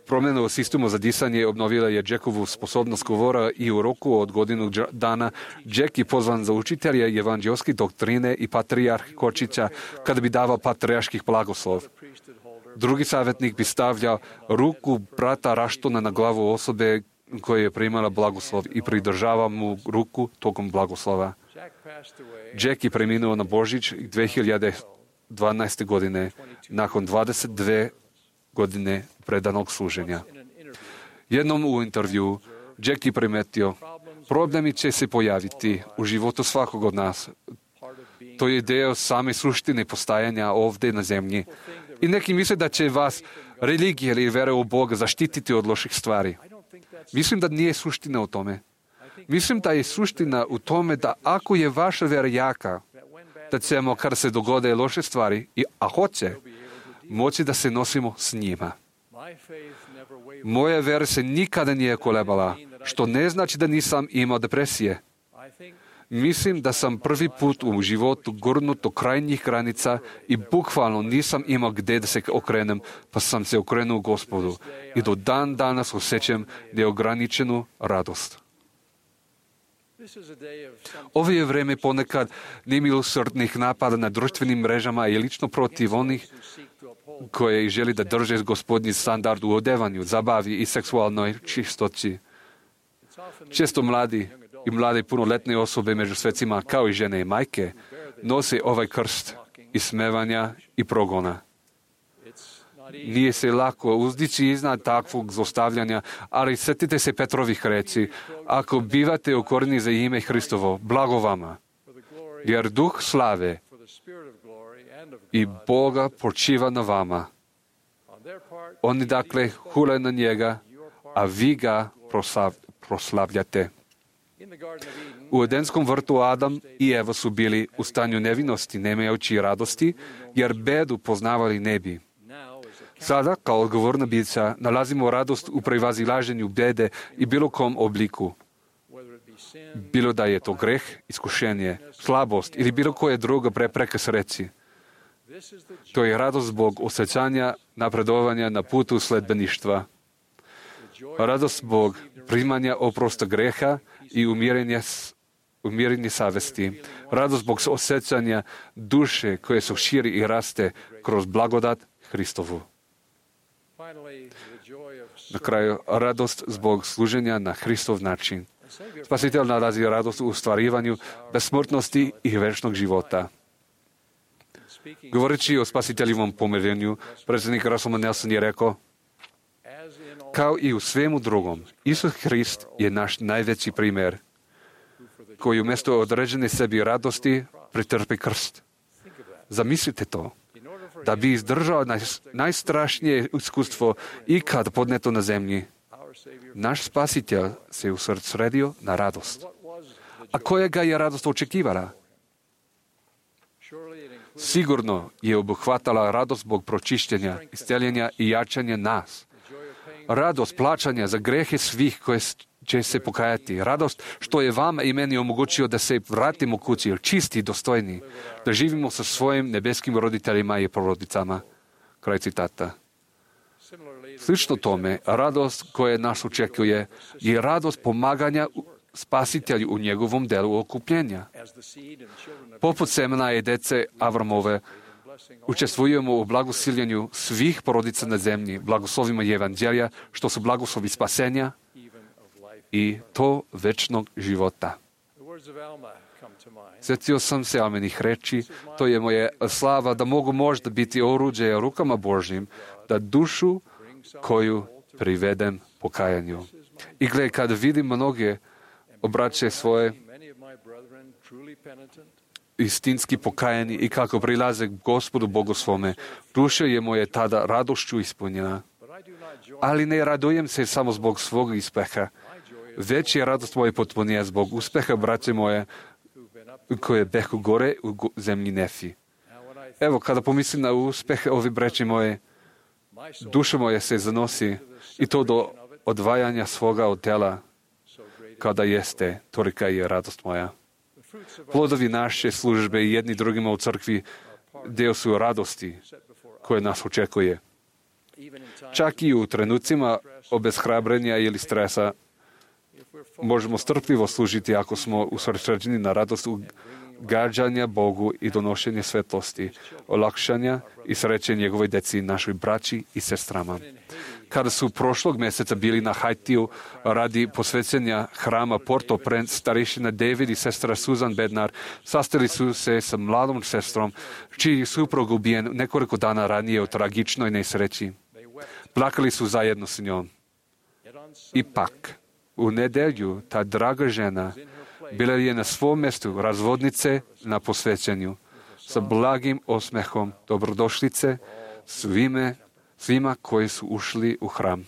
Promjena u sistemu za disanje obnovila je Jackovu sposobnost govora i u roku od godinu dana Jack je pozvan za učitelja evanđelske doktrine i patrijarh kočića kada bi davao patrijarških blagoslov. Drugi savjetnik bi stavljao ruku brata Rushtona na glavu osobe koja je primala blagoslov i pridržava mu ruku tokom blagoslova. Jack je preminuo na Božić 2012. godine nakon 22 godine predanog služenja. Jednom u intervju Jack je primetio, problemi će se pojaviti u životu svakog od nas. To je deo same suštine postajanja ovdje na zemlji. I neki misle da će vas religija ili vera u Boga zaštititi od loših stvari. Mislim da nije suština u tome. Mislim da je suština u tome da ako je vaša vera jaka, da ćemo, kada se dogode loše stvari, a hoće, moći da se nosimo s njima. Moja vera se nikada nije kolebala, što ne znači da nisam imao depresije. Mislim da sam prvi put u životu gurnut do krajnjih granica i bukvalno nisam imao gdje da se okrenem, pa sam se okrenuo Gospodu i do dan danas osjećam neograničenu radost. Ovo je vrijeme ponekad nemilosrdnih napada na društvenim mrežama i lično protiv onih koje želi da drže Gospodnji standard u odevanju, zabavi i seksualnoj čistoći. Često mladi i mlade punoletne osobe među svecima, kao i žene i majke, nose ovaj krst ismevanja i progona. Nije se lako uzdići iznad takvog zlostavljanja, ali sjetite se Petrovih reči, ako bivate ukoreni za ime Hristovo, blago vama, jer duh slave i Boga počiva na vama. Oni dakle hule na njega, a vi ga proslavljate. U Edenskom vrtu Adam i Eva su bili u stanju nevinosti, nemajući radosti, jer bedu poznavali ne bi. Sada, kao odgovorna bića, nalazimo radost u prevazilaženju bede i bilo kom obliku. Bilo da je to greh, iskušenje, slabost ili bilo koja druga prepreka sreći. To je radost zbog osjećanja napredovanja na putu sledbeništva. Radost zbog primanja oprosta greha i umirenje savesti. Radost zbog osjećanja duše koje se širi i raste kroz blagodat Hristovu. Na kraju, radost zbog služenja na Hristov način. Spasitelj nalazi radost u ostvarivanju besmrtnosti i večnog života. Govoreći o spasiteljivom pomirenju, predsjednik Russell Nelson je rekao: kao i u svemu drugom, Isus Hrist je naš najveći primjer, koji umjesto određene sebi radosti pretrpi krst. Zamislite to. Da bi izdržao najstrašnije iskustvo ikad podneto na zemlji, naš spasitelj se usredio na radost. A koja ga je radost očekivala? Sigurno je obuhvatala radost zbog pročišćenja, isceljenja i jačanja nas. Radost plaćanja za grehe svih koje će se pokajati. Radost što je vama i meni omogućio da se vratimo kući, čisti i dostojni, da živimo sa svojim nebeskim roditeljima i porodicama. Kraj citata. Slično tome, radost koja nas očekuje je radost pomaganja spasitelju u njegovom delu okupljenja. Poput semena i dece Avramove, učestvujemo u blagosiljenju svih porodica na zemlji, blagoslovima evanđelja, što su blagoslovi spasenja i to večnog života. Sjetio sam se Almenih reči, to je moje slava da mogu možda biti oruđe rukama Božjim, da dušu koju privedem pokajanju. I gle, kad vidim mnoge obraće svoje istinski pokajani i kako prilaze k Gospodu Bogu svome, duša je moje tada radošću ispunjena. Ali ne radujem se samo zbog svog uspeha, već je radost moja potpunija zbog uspeha braće moje koje behu gore u zemlji Nefi. Evo, kada pomislim na uspehe ovi braće moje, duša moja se zanosi i to do odvajanja svoga od tela, kada jeste, tolika je radost moja. Plodovi naše službe i jedni drugima u crkvi dio su radosti koje nas očekuje. Čak i u trenucima obeshrabrenja ili stresa možemo strpljivo služiti ako smo usredsređeni na radost ugađanja Bogu i donošenje svetlosti, olakšanja i sreće njegovoj deci, našoj braći i sestrama. Kada su prošlog mjeseca bili na Haitiju radi posvećenja hrama Port-au-Prince, starešina David i sestra Susan Bednar sastali su se sa mladom sestrom, čiji suprug ubijen nekoliko dana ranije u tragičnoj nesreći. Plakali su zajedno s njom. Ipak, u nedjelju ta draga žena bila je na svom mjestu razvodnice na posvećenju, sa blagim osmehom dobrodošlice svima koji su ušli u hram.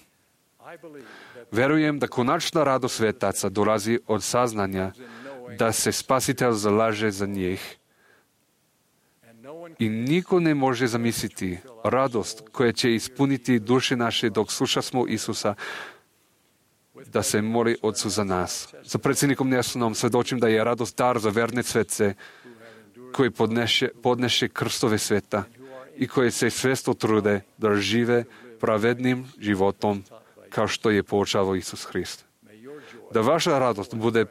Verujem da konačna radost svetaca dolazi od saznanja da se Spasitelj zalaže za njih. I niko ne može zamisliti radost koja će ispuniti duše naše dok slušamo Isusa da se moli Otcu za nas. Sa predsjednikom Nelsonom svjedočim da je radost dar za verne svece koji podneše krstove sveta i koji se svjesno trude da žive pravednim životom kao što je poučavao Isus Hrist. Da vaša radost bude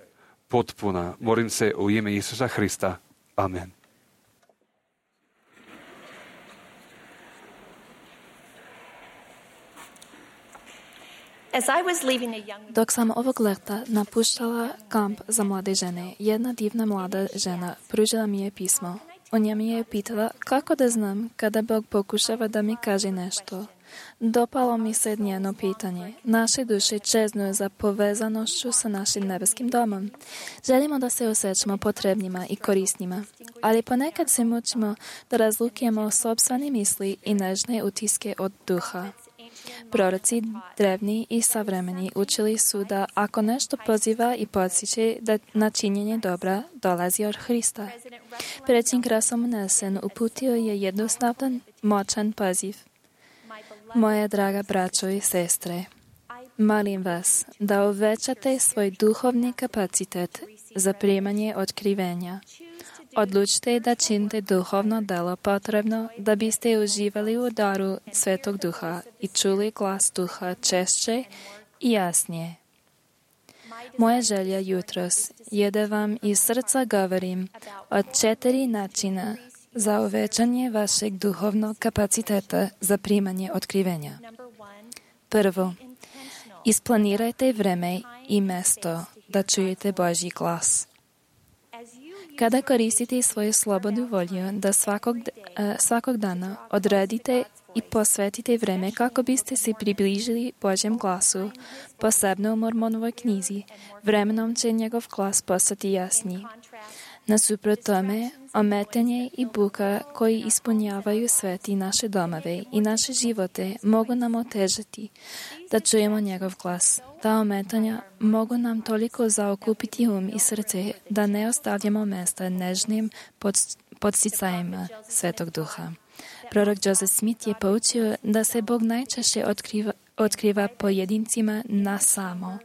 potpuna, molim se u ime Isusa Hrista. Amen. Dok sam ovog leta napuštala kamp za mlade žene, jedna divna mlada žena pružila mi je pismo. O njemu je pitala kako da znam kada Bog pokušava da mi kaže nešto. Dopalo mi se njeno pitanje. Naše duše čeznuju za povezanošću sa našim nebeskim domom. Želimo da se osjećamo potrebnima i korisnima, ali ponekad se mučimo da razlukujemo sopstvene misli i nežne utiske od duha. Proroci, drevni i savremeni, učili su da ako nešto poziva i podsjeća na činjenje dobra, dolazi od Hrista. Predsjednik Russell Nelson uputio je jednostavan, moćan poziv. Moje draga braćo i sestre, molim vas da uvećate svoj duhovni kapacitet za primanje otkrivenja. Odlučite da činite duhovno delo potrebno da biste uživali u daru Svetog Duha i čuli glas Duha češće i jasnije. Moja želja jutros je da vam iz srca govorim o 4 načina za uvećanje vašeg duhovnog kapaciteta za primanje otkrivenja. Prvo, isplanirajte vreme i mesto da čujete Božji glas. Kada koristite svoju slobodnu volju da svakog dana odredite i posvetite vreme kako biste se približili Božjem glasu, posebno u Mormonovoj knjizi, vremenom će njegov glas postati jasniji. Nasuprot tome, ometanje i buka koji ispunjavaju svet i naše domove i naše živote mogu nam otežati da čujemo njegov glas. Ta ometanja mogu nam toliko zaokupiti i srce da ne ostavljamo mesta nežnim podsticajima Svetog Duha. Prorok Joseph Smith je poučio da se Bog najčešće otkriva pojedincima na samo,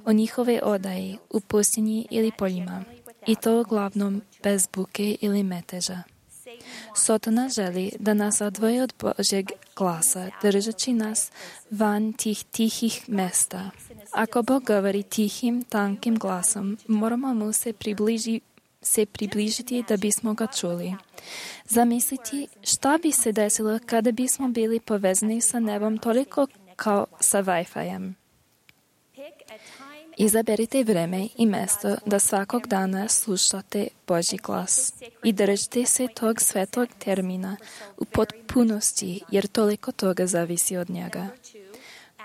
o njihove odaji, u pustinji ili poljima, i to uglavnom bez buke ili meteža. Sotona želi da nas odvoji od Božjeg glasa, držeći nas van tih tihih mesta. Ako Bog govori tihim, tankim glasom, moramo mu se približiti da bismo ga čuli. Zamisliti šta bi se desilo kada bismo bili povezani sa nebom toliko kao sa Wi-Fi-em. Izaberite vreme i mesto da svakog dana slušate Božji glas i držite se tog svetog termina u potpunosti, jer toliko toga zavisi od njega.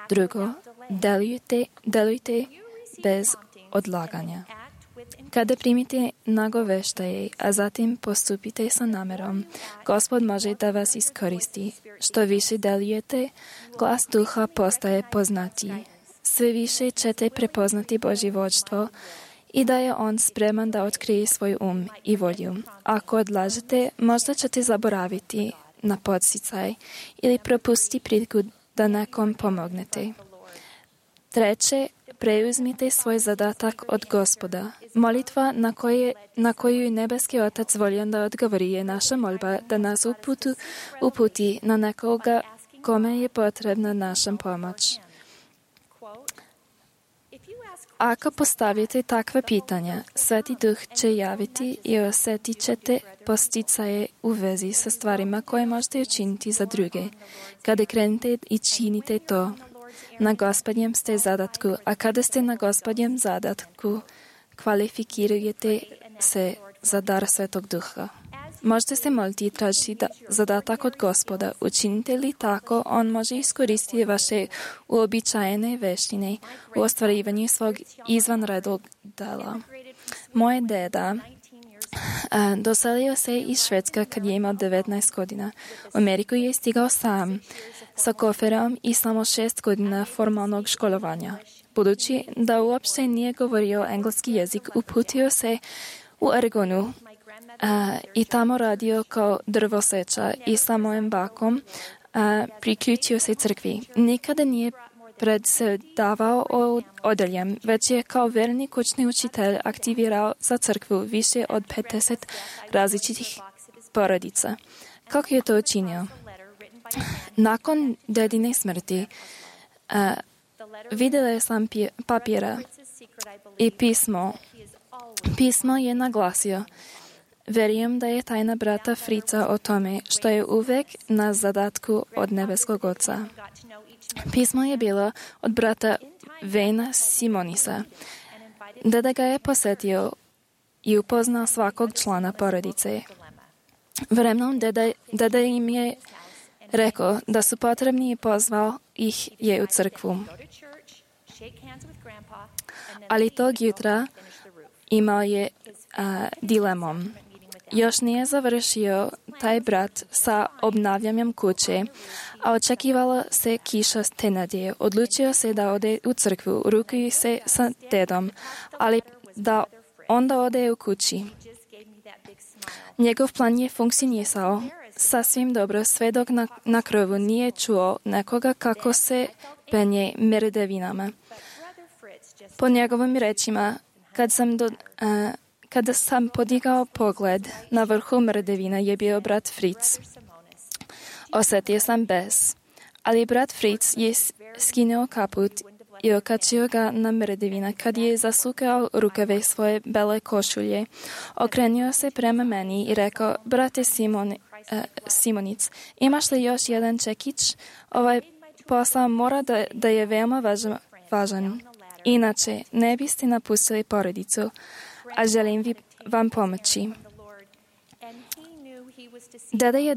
Drugo, delujte bez odlaganja. Kada primite nagoveštaje, a zatim postupite sa namerom, Gospod može da vas iskoristi. Što više delujete, glas Duha postaje poznatiji. Sve više ćete prepoznati Božje vođstvo i da je On spreman da otkrije svoj i volju. Ako odlažete, možda ćete zaboraviti na podsticaj ili propustiti priliku da nekom pomognete. Treće, preuzmite svoj zadatak od Gospoda. Molitva na koju je nebeski Otac voljan da odgovori je naša molba da nas uputi na nekoga kome je potrebna naša pomoć. Ako postavite takva pitanja, Sveti Duh će javiti i osjetit ćete posticaje u vezi sa stvarima koje možete učiniti za druge. Kada krenete i činite to, na Gospodnjem ste zadatku, a kada ste na Gospodnjem zadatku, kvalifikirujete se za dar Svetog Duha. Možete se moliti i tražiti zadatak od Gospoda. Učinite li tako, On može iskoristiti vaše uobičajene veštine u ostvarivanju svog izvanrednog dela. Moj deda doselio se iz Švedska kad je imao 19 godina. U Ameriku je stigao sam sa koferom i samo 6 godina formalnog školovanja. Budući da uopšte nije govorio engleski jezik, uputio se u Oregonu i tamo radio kao drvoseča i sa mojim bakom priključio se crkvi. Nikada nije predsjedavao odeljem, već je kao verni kućni učitelj aktivirao za crkvu više od 50 različitih porodica. Kako je to učinio? Nakon dedine smrti vidjela sam papira i pismo. Pismo je naglasio: verujem da je tajna brata Frica o tome što je uvek na zadatku od nebeskog Oca. Pismo je bilo od brata Vena Simonisa. Deda ga je posjetio i upoznao svakog člana porodice. Vremenom deda im je rekao da su potrebni i pozvao ih je u crkvu. Ali tog jutra imao je dilemom. još nije završio taj brat sa obnavljanjem kuće, a očekivala se kiša te nedjelje. Odlučio se da ode u crkvu, rukuje se sa dedom, ali da onda ode u kući. Njegov plan je funkcionisao sasvim dobro, sve dok na krovu nije čuo nekoga kako se penje mrdevinama. Po njegovim rečima, kada sam podigao pogled, na vrhu mrdevina je bio brat Fritz. Osjetio sam bes, ali brat Fritz je skinuo kaput i okačio ga na mrdevina. Kad je zasukao rukave svoje bele košulje, okrenuo se prema meni i rekao: brate Simonic, imaš li još jedan čekić? Ovaj posao mora da je veoma važan. Inače, ne biste napustili porodicu, a želim vam pomoći. Deda je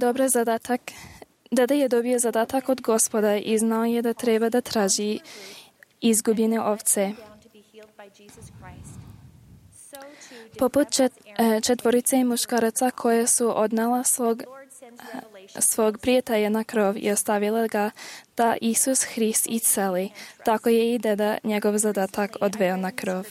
dobio zadatak od Gospoda i znao je da treba da traži izgubljene ovce. Poput četvorice muškaraca koje su odnala svog prijatelja na krov i ostavila ga da Isus Hrist isceli, tako je i deda njegov zadatak odveo na krov.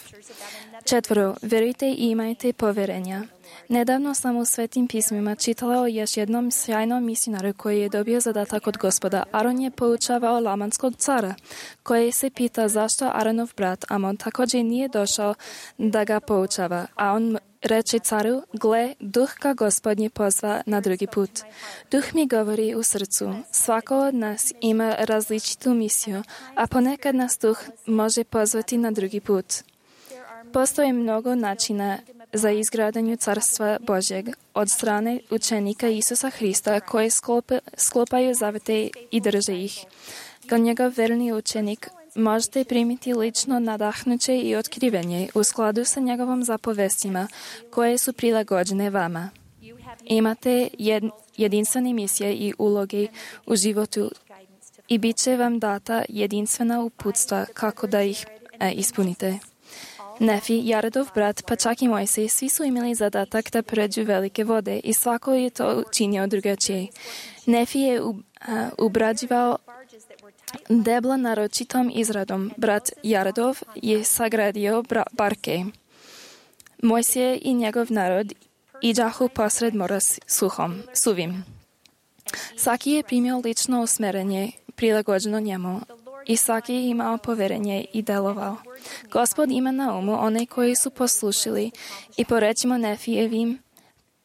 4. Verujte i imajte poverenja. Nedavno sam u Svetim pismima čitala o još jednom sjajnom misionaru koji je dobio zadatak od Gospoda. Aron je poučavao lamanskog cara, koji se pita zašto Aronov brat Amon također nije došao da ga poučava, a on reče caru: gle, duh ga Gospodnje pozva na drugi put. Duh mi govori u srcu. Svako od nas ima različitu misiju, a ponekad nas duh može pozvati na drugi put. Postoji mnogo načina za izgradnju Carstva Božjeg od strane učenika Isusa Hrista koji sklopaju zavete i drže ih. Kao njegov verni učenik možete primiti lično nadahnuće i otkrivenje u skladu sa njegovom zapovestima koje su prilagođene vama. Imate jedinstvene misije i uloge u životu i bit će vam data jedinstvena uputstva kako da ih ispunite. Nefi, Jaredov brat, pa čak i Mojsej, svi su imali zadatak da pređu velike vode i svako je to učinio drugačije. Nefi je ubrađivao debla naročitom izradom. Brat Jaredov je sagradio barke. Mojsije i njegov narod iđahu posred mora suvim. Svaki je primio lično usmerenje prilagođeno njemu i svaki je imao poverenje i delovao. Gospod ima na umu one koji su poslušali i po rečima Nefijevim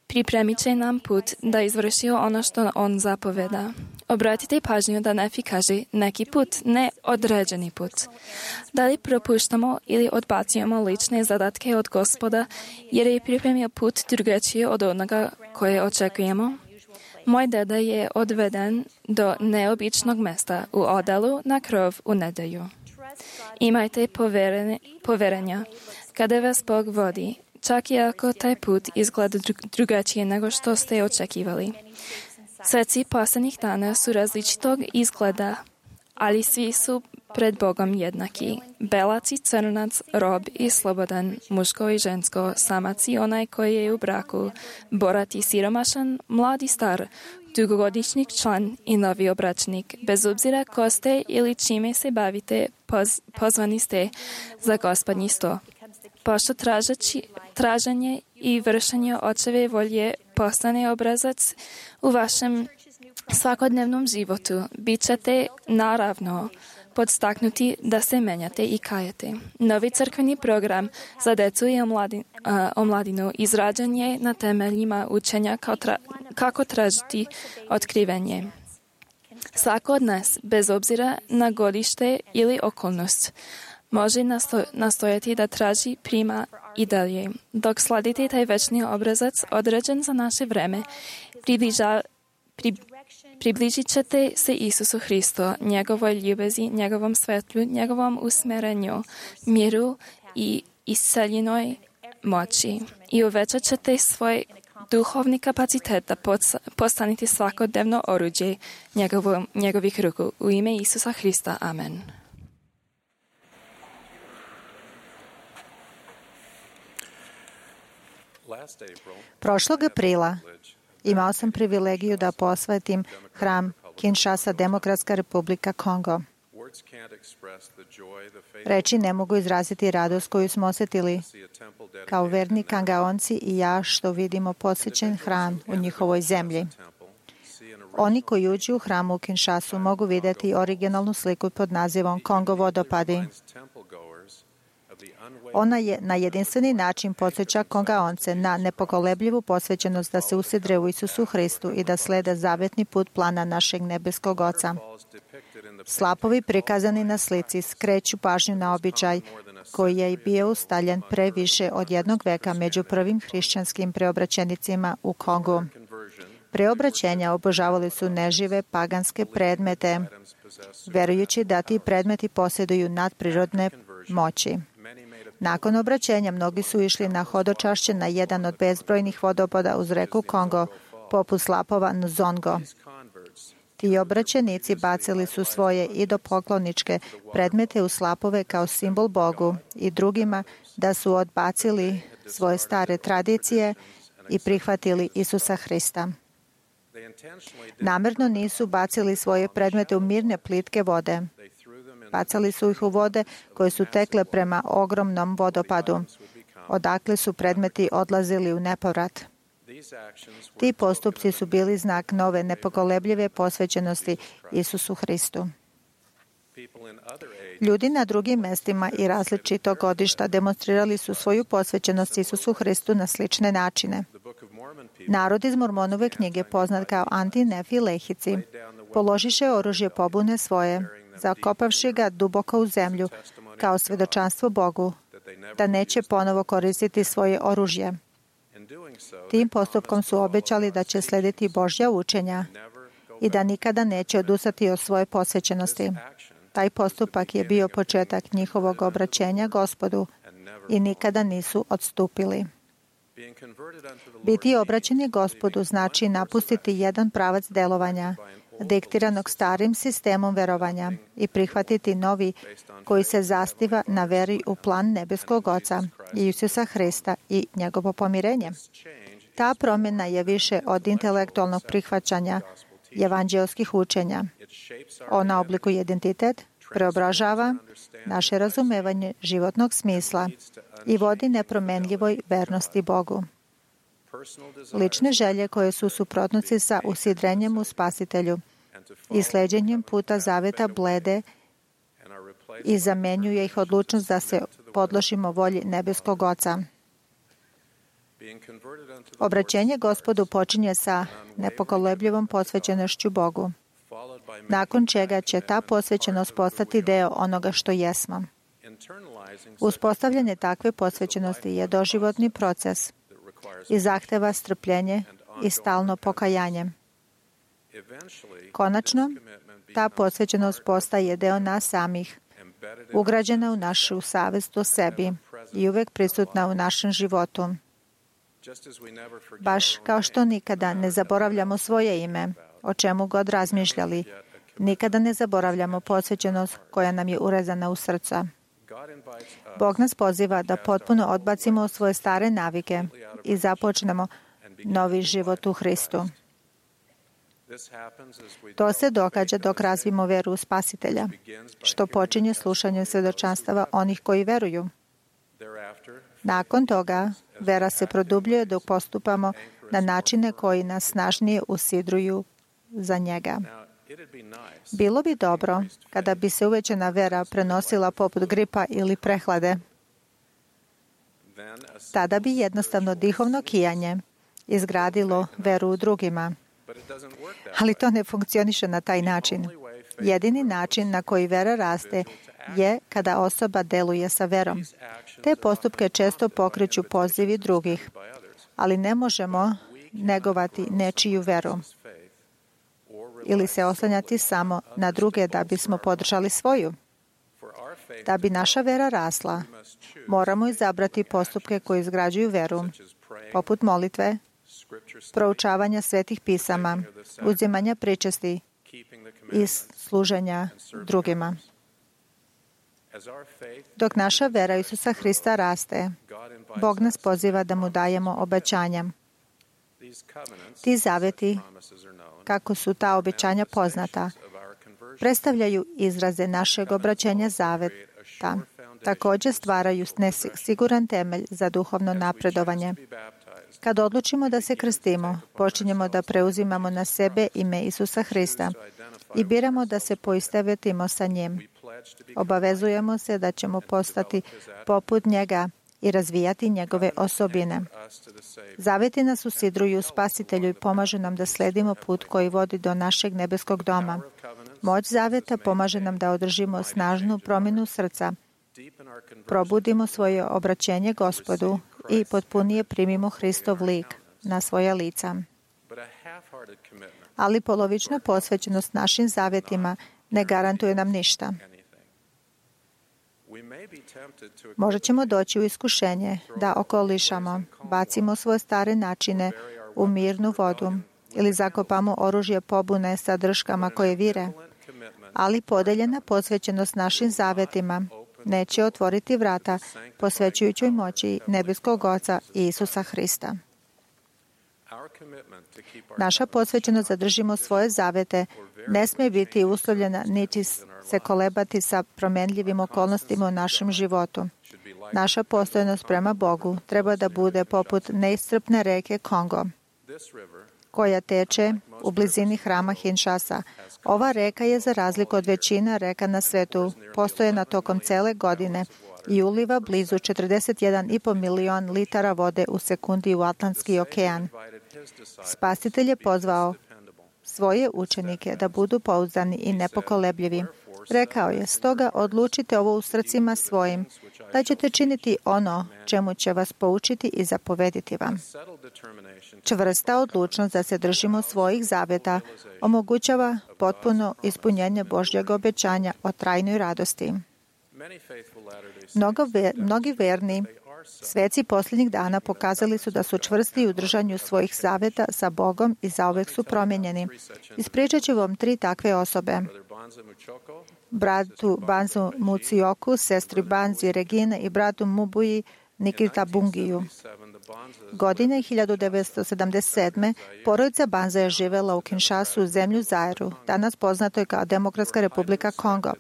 pripremit će nam put da izvršio ono što on zapoveda. Obratite pažnju da Nefi kaže neki put, ne određeni put. Da li propuštamo ili odbacujemo lične zadatke od Gospoda jer je pripremio put drugačije od onoga koje očekujemo? Moj deda je odveden do neobičnog mesta u odelu na krov u nedelju. Imajte poverenja kada vas Bog vodi, čak i ako taj put izgleda drugačije nego što ste očekivali. Sveci posljednjih dana su različitog izgleda, ali svi su pred Bogom jednaki. Belac i crnac, rob i slobodan, muško i žensko, samac i onaj koji je u braku, borat i siromašan, mlad i star, dugogodišnji član i novi obračnik. Bez obzira ko ste ili čime se bavite, pozvani ste za Gospodnji sto. Pošto traženje i vršenje očeve volje postane obrazac u vašem svakodnevnom životu, bit ćete naravno podstaknuti da se menjate i kajete. Novi crkveni program za decu i omladinu izrađen je na temeljima učenja kako tražiti otkrivenje. Svako od nas, bez obzira na godište ili okolnost, može nastojati da traži prima i dalje. Dok sladite taj večni obrazac određen za naše vreme, približit ćete se Isusu Hristu, njegovoj ljubezi, njegovom svetlu, njegovom usmerenju, miru i isceljenoj moći. I uvećat ćete svoj duhovni kapacitet da postanete svakodnevno oruđe njegovih ruku. U ime Isusa Hrista. Amen. Prošlog aprila imao sam privilegiju da posvetim hram Kinshasa, Demokratska republika Kongo. Reči ne mogu izraziti radost koju smo osjetili kao verni Kangaonci i ja što vidimo posvećen hram u njihovoj zemlji. Oni koji uđu u hram u Kinshasu mogu vidjeti originalnu sliku pod nazivom Kongo vodopadi. Ona je na jedinstveni način podsjeća Kongaonce na nepokolebljivu posvećenost da se usidre u Isusu Hristu i da slede zavetni put plana našeg nebeskog Oca. Slapovi prikazani na slici skreću pažnju na običaj koji je i bio ustaljen pre više od 1 veka među prvim hrišćanskim preobraćenicima u Kongu. Preobraćenja obožavali su nežive paganske predmete, verujući da ti predmeti posjeduju nadprirodne moći. Nakon obraćenja mnogi su išli na hodočašće na jedan od bezbrojnih vodopada uz reku Kongo, poput slapova Nzongo. Ti obraćenici bacili su svoje idopokloničke predmete u slapove kao simbol Bogu i drugima da su odbacili svoje stare tradicije i prihvatili Isusa Hrista. Namerno nisu bacili svoje predmete u mirne plitke vode. Bacali su ih u vode koje su tekle prema ogromnom vodopadu, odakle su predmeti odlazili u nepovrat. Ti postupci su bili znak nove nepokolebljive posvećenosti Isusu Hristu. Ljudi na drugim mestima i različitog godišta demonstrirali su svoju posvećenost Isusu Hristu na slične načine. Narod iz Mormonove knjige, poznat kao Anti-Nefi Lehici, položiše oružje pobune svoje, zakopavši ga duboko u zemlju, kao svedočanstvo Bogu, da neće ponovo koristiti svoje oružje. Tim postupkom su obećali da će slediti Božja učenja i da nikada neće odustati od svoje posvećenosti. Taj postupak je bio početak njihovog obraćenja Gospodu i nikada nisu odstupili. Biti obraćeni Gospodu znači napustiti jedan pravac delovanja, diktiranog starim sistemom verovanja i prihvatiti novi koji se zasniva na veri u plan nebeskog Oca i Isusa Hrista i njegovo pomirenje. Ta promjena je više od intelektualnog prihvaćanja evanđelskih učenja. Ona oblikuje identitet, preobražava naše razumevanje životnog smisla i vodi nepromenljivoj vernosti Bogu. Lične želje koje su suprotnosti sa usidrenjem u Spasitelju i sleđenjem puta zaveta blede i zamenjuje ih odlučnost da se podložimo volji nebeskog Oca. Obraćenje Gospodu počinje sa nepokolebljivom posvećenošću Bogu, nakon čega će ta posvećenost postati deo onoga što jesmo. Uspostavljanje takve posvećenosti je doživotni proces i zahteva strpljenje i stalno pokajanje. Konačno, ta posvećenost postaje deo nas samih, ugrađena u našu savest o sebi i uvek prisutna u našem životu. Baš kao što nikada ne zaboravljamo svoje ime, o čemu god razmišljali, nikada ne zaboravljamo posvećenost koja nam je urezana u srca. Bog nas poziva da potpuno odbacimo svoje stare navike i započnemo novi život u Hristu. To se događa dok razvijemo veru u Spasitelja, što počinje slušanjem svjedočanstava onih koji veruju. Nakon toga, vera se produbljuje dok postupamo na načine koji nas snažnije usidruju za njega. Bilo bi dobro kada bi se uvećana vera prenosila poput gripa ili prehlade. Tada bi jednostavno dihovno kijanje izgradilo veru u drugima. Ali to ne funkcioniše na taj način. Jedini način na koji vera raste je kada osoba deluje sa verom. Te postupke često pokreću pozivi drugih, ali ne možemo negovati nečiju veru ili se oslanjati samo na druge da bismo podržali svoju. Da bi naša vera rasla, moramo izabrati postupke koji izgrađuju veru, poput molitve, proučavanja svetih pisama, uzimanja pričesti i služenja drugima. Dok naša vera Isusa Hrista raste, Bog nas poziva da mu dajemo obećanja. Ti zaveti, kako su ta obećanja poznata, predstavljaju izraze našeg obraćanja zaveta. Također stvaraju siguran temelj za duhovno napredovanje. Kad odlučimo da se krstimo, počinjemo da preuzimamo na sebe ime Isusa Hrista i biramo da se poistovjetimo sa njim. Obavezujemo se da ćemo postati poput njega i razvijati njegove osobine. Zaveti nas usidruju u Spasitelju i pomažu nam da sledimo put koji vodi do našeg nebeskog doma. Moć zaveta pomaže nam da održimo snažnu promjenu srca, probudimo svoje obraćenje Gospodu i potpunije primimo Hristov lik na svoja lica. Ali polovična posvećenost našim zavjetima ne garantuje nam ništa. Možda ćemo doći u iskušenje da okolišamo, bacimo svoje stare načine u mirnu vodu ili zakopamo oružje pobune sa drškama koje vire, ali podeljena posvećenost našim zavjetima neće otvoriti vrata posvećujućoj moći nebeskog Oca i Isusa Hrista. Naša posvećenost da držimo svoje zavete ne smije biti uslovljena niti se kolebati sa promenljivim okolnostima u našem životu. Naša postojnost prema Bogu treba da bude poput neiscrpne reke Kongo, koja teče u blizini hrama Kinshasa. Ova reka je, za razliku od većina reka na svetu, postojena tokom cele godine i uliva blizu 41,5 milion litara vode u sekundi u Atlantski okean. Spasitelj je pozvao svoje učenike da budu pouzdani i nepokolebljivi. Rekao je, stoga odlučite ovo u srcima svojim, da ćete činiti ono čemu će vas poučiti i zapovediti vam. Čvrsta odlučnost da se držimo svojih zaveta omogućava potpuno ispunjenje Božjeg obećanja o trajnoj radosti. Mnogi verni sveci posljednjih dana pokazali su da su čvrsti u držanju svojih zaveta sa Bogom i zauvek su promijenjeni. Ispričat ću vam 3 takve osobe. Bratu Banzu Mucioku, sestri Banzi Regine i bratu Mubuji Nikita Bungiju. Godine 1977. porodica Banza je živela u Kinshasu, u zemlju Zairu, danas poznatoj kao Demokratska republika Kongo.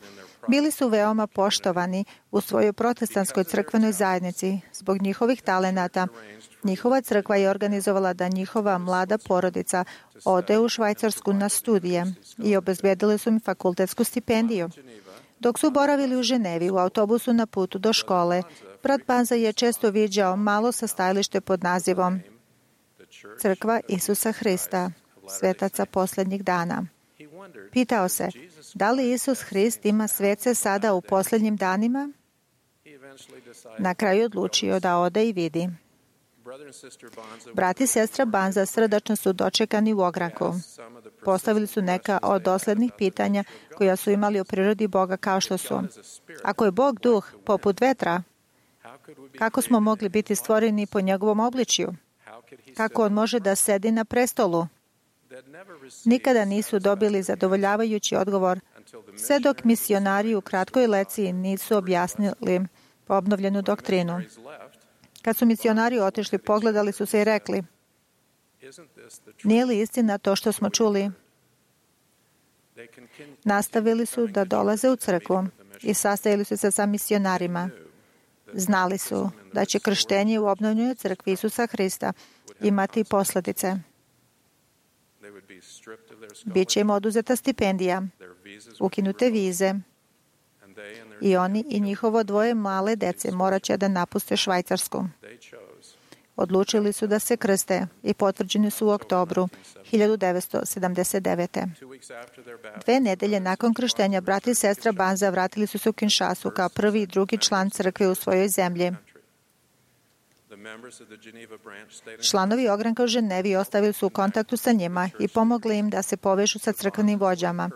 Bili su veoma poštovani u svojoj protestantskoj crkvenoj zajednici. Zbog njihovih talenata, njihova crkva je organizovala da njihova mlada porodica ode u Švajcarsku na studije i obezbedili su im fakultetsku stipendiju. Dok su boravili u Ženevi u autobusu na putu do škole, brat Banza je često viđao malo sastajalište pod nazivom Crkva Isusa Hrista, svetaca posljednjih dana. Pitao se, da li Isus Hrist ima svece sada u posljednjim danima? Na kraju odlučio da ode i vidi. Brat i sestra Banza srdačno su dočekani u ogranku. Postavili su neka od doslednih pitanja koja su imali o prirodi Boga, kao što su: ako je Bog duh poput vetra, kako smo mogli biti stvoreni po njegovom obličju? Kako on može da sedi na prestolu? Nikada nisu dobili zadovoljavajući odgovor, sve dok misionari u kratkoj lekciji nisu objasnili obnovljenu doktrinu. Kad su misionari otišli, pogledali su se i rekli, nije li istina to što smo čuli? Nastavili su da dolaze u crkvu i sastajali su se sa misionarima. Znali su da će krštenje u obnovljenoj crkvi Isusa Hrista imati posljedice. Biće im oduzeta stipendija, ukinute vize i oni i njihovo 2 male dece morat će da napuste Švajcarsku. Odlučili su da se krste i potvrđeni su u oktobru 1979. 2 nedelje nakon krštenja brat i sestra Banza vratili su se u Kinshasu kao prvi i drugi član crkve u svojoj zemlji. Članovi ogranka u Ženevi ostavili su u kontaktu sa njima i pomogli im da se povežu sa crkvenim vođama.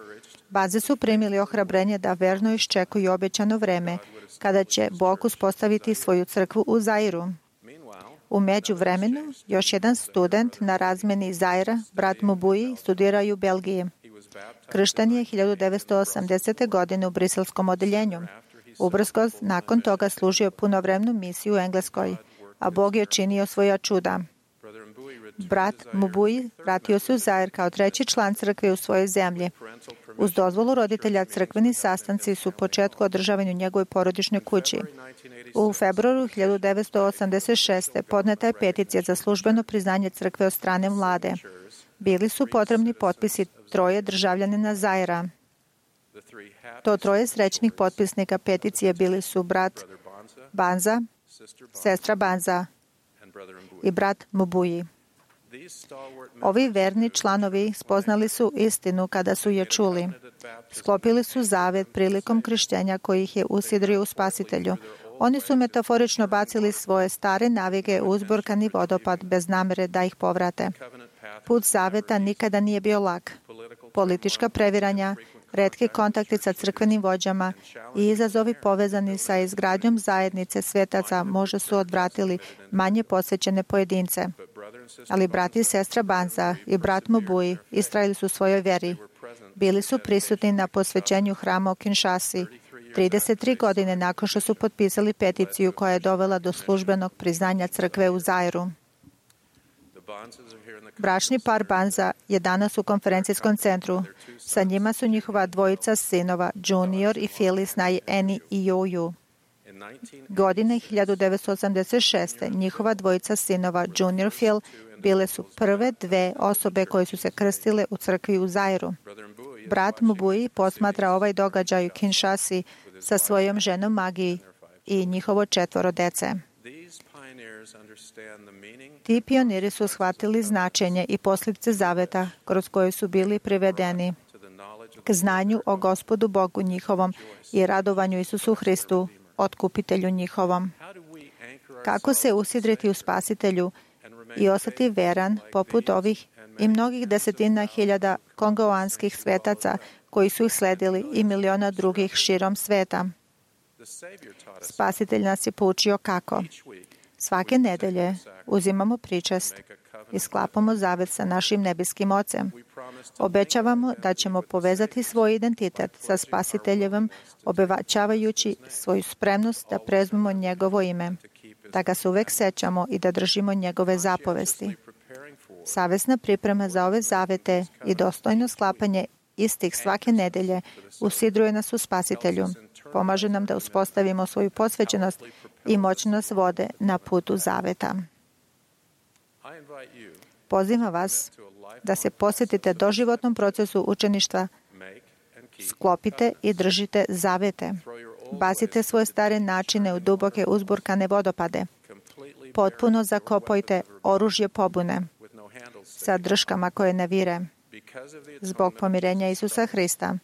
Banze su primili ohrabrenje da verno iščekuju obećano vreme kada će Bog uspostaviti svoju crkvu u Zairu. U međuvremenu, još jedan student na razmeni iz Zaira, brat Mubuji, studirao u Belgiji. Kršten je 1980. godine u briselskom odeljenju. Ubrzo nakon toga služio punovremenu misiju u Engleskoj. a Bog je činio svoja čuda. Brat Mbuyi vratio se u Zaire kao treći član crkve u svojoj zemlji. Uz dozvolu roditelja, crkveni sastanci su u početku održavani u njegovoj porodičnoj kući. U februaru 1986. podneta je peticija za službeno priznanje crkve od strane vlade. Bili su potrebni potpisi 3 državljanina Zaira. To 3 srećnih potpisnika peticije bili su brat Banza, sestra Banza i brat Mbuyi. Ovi verni članovi spoznali su istinu kada su je čuli. Sklopili su zavet prilikom krštenja koji ih je usidrio u Spasitelju. Oni su metaforično bacili svoje stare navike u uzburkani vodopad bez namere da ih povrate. Put zaveta nikada nije bio lak. Politička previranja, retki kontakti sa crkvenim vođama i izazovi povezani sa izgradnjom zajednice svetaca možda su odvratili manje posvećene pojedince. Ali brat i sestra Banza i brat Mbuyi istrajali su u svojoj veri. Bili su prisutni na posvećenju hrama u Kinshasi 33 godine nakon što su potpisali peticiju koja je dovela do službenog priznanja crkve u Zairu. Bračni par Banza je danas u konferencijskom centru. Sa njima su njihova 2 sinova, Junior i Phyllis Annie i Yoyu. Godine 1986. njihova 2 sinova, Junior Phil, bile su prve 2 osobe koje su se krstile u crkvi u Zairu. Brat Mbuyi posmatra ovaj događaj u Kinshasi sa svojom ženom Magiji i njihovo 4 dece. Ti pioniri su shvatili značenje i posljedice zaveta kroz koje su bili privedeni k znanju o Gospodu Bogu njihovom i radovanju Isusu Hristu, otkupitelju njihovom. Kako se usidriti u Spasitelju i ostati veran poput ovih i mnogih desetina hiljada kongoanskih svetaca koji su ih sledili i miliona drugih širom sveta. Spasitelj nas je poučio kako. Svake nedelje uzimamo pričest i sklapamo zavet sa našim nebeskim Ocem. Obećavamo da ćemo povezati svoj identitet sa Spasiteljevim, obećavajući svoju spremnost da prezmemo njegovo ime, da ga se uvek sećamo i da držimo njegove zapovesti. Savesna priprema za ove zavete i dostojno sklapanje istih svake nedelje usidruje nas u Spasitelju. Pomaže nam da uspostavimo svoju posvećenost i moć nas vode na putu zaveta. Pozivam vas da se posvetite doživotnom procesu učeništva, sklopite i držite zavete. Bacite svoje stare načine u duboke uzburkane vodopade. Potpuno zakopajte oružje pobune sa drškama koje ne vire. Zbog pomirenja Isusa Hrista,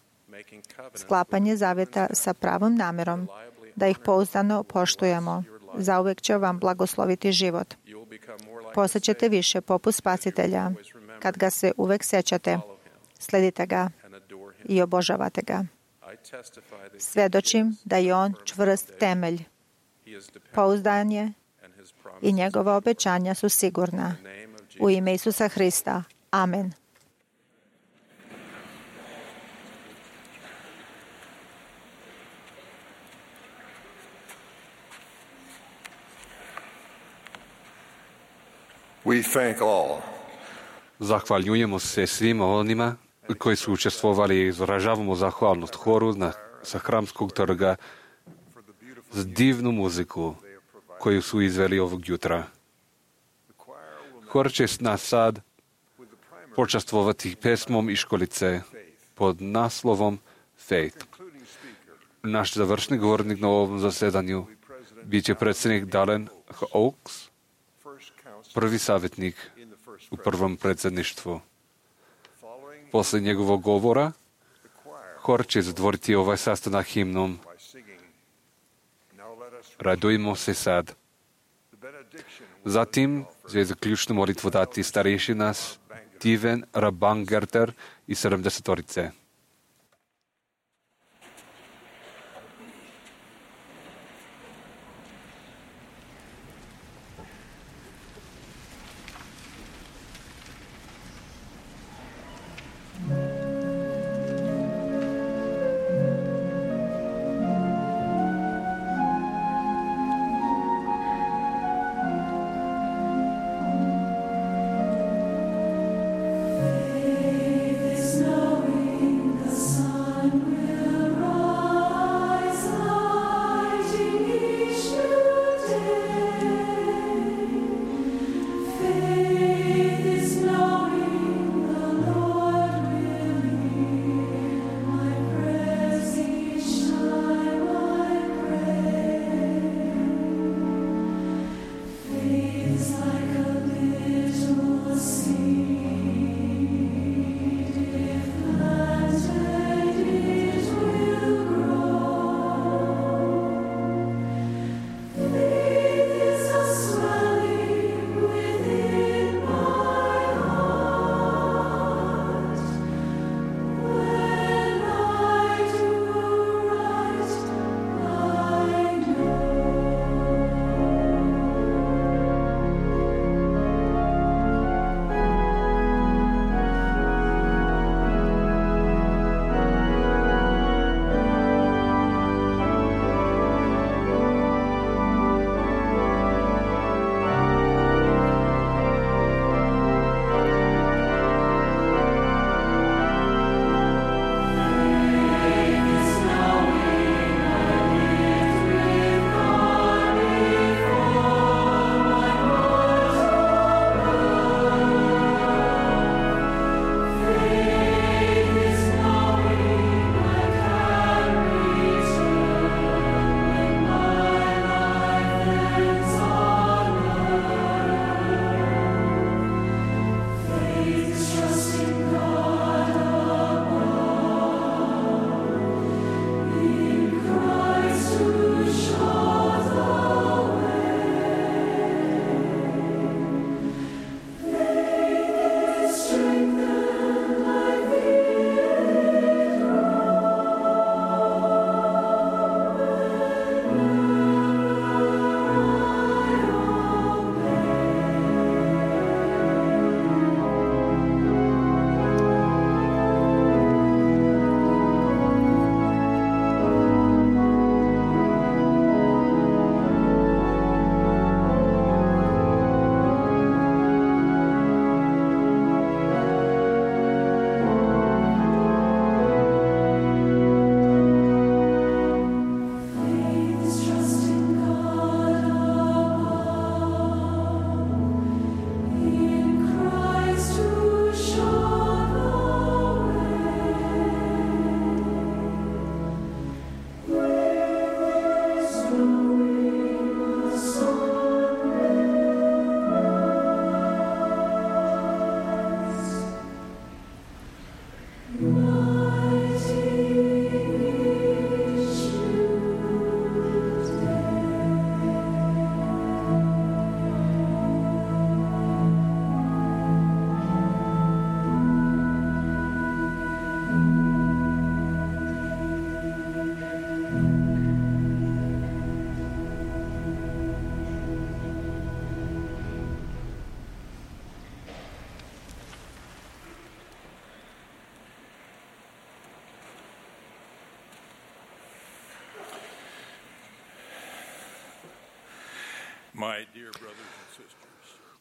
sklapanje zaveta sa pravom namerom, da ih pouzdano poštujemo, zauvek će vam blagosloviti život. Postaćete više poput Spasitelja, kad ga se uvek sećate, sledite ga i obožavate ga. Svedočim da je on čvrst temelj, pouzdanje i njegova obećanja su sigurna. U ime Isusa Hrista. Amen. We thank all. Zahvaljujemo se svima onima koji su učestvovali i izražavamo zahvalnost horu sa Hramskog trga za divnu muziku koju su izveli ovog jutra. Hor će nas sad počastvovati pesmom iz školice pod naslovom Faith. Naš završni govornik na ovom zasedanju bit će predsjednik Dallin H. Oaks, prvi savjetnik u prvom predsjedništvu. Posle njegovog govora, hor će zatvoriti ovaj sastanak himnom Radujmo se sad. Zatim će zaključnu molitvu dati starešina Steven Rabangerter i 70-orice.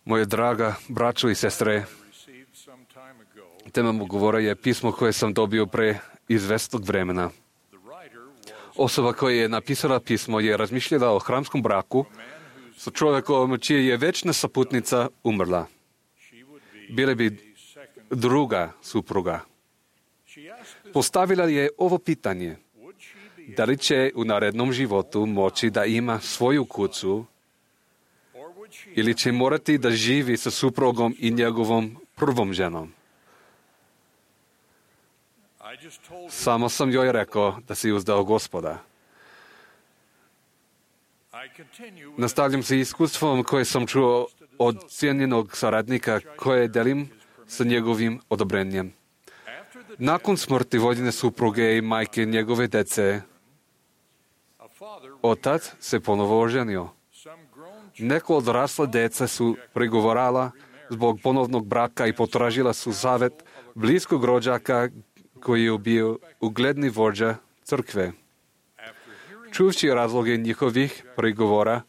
Moje draga braćo i sestre, tema mog govora je pismo koje sam dobio pre izvestog vremena. Osoba koja je napisala pismo je razmišljala o hramskom braku sa čovjekom čija je večna saputnica umrla. Bila bi druga supruga. Postavila je ovo pitanje. Da li će u narednom životu moći da ima svoju kuću ili će morati da živi sa suprugom i njegovom prvom ženom? Samo sam joj rekao da si uzdao Gospoda. Nastavljam se iskustvom koje sam čuo od cijenjenog saradnika koje delim sa njegovim odobrenjem. Nakon smrti voljene supruge i majke njegove dece, otac se ponovo oženio. Neko odrasla deca su prigovorala zbog ponovnog braka i potražila su savjet bliskog rođaka koji je bio ugledni vođa crkve. Čuvši razloge njihovih prigovora,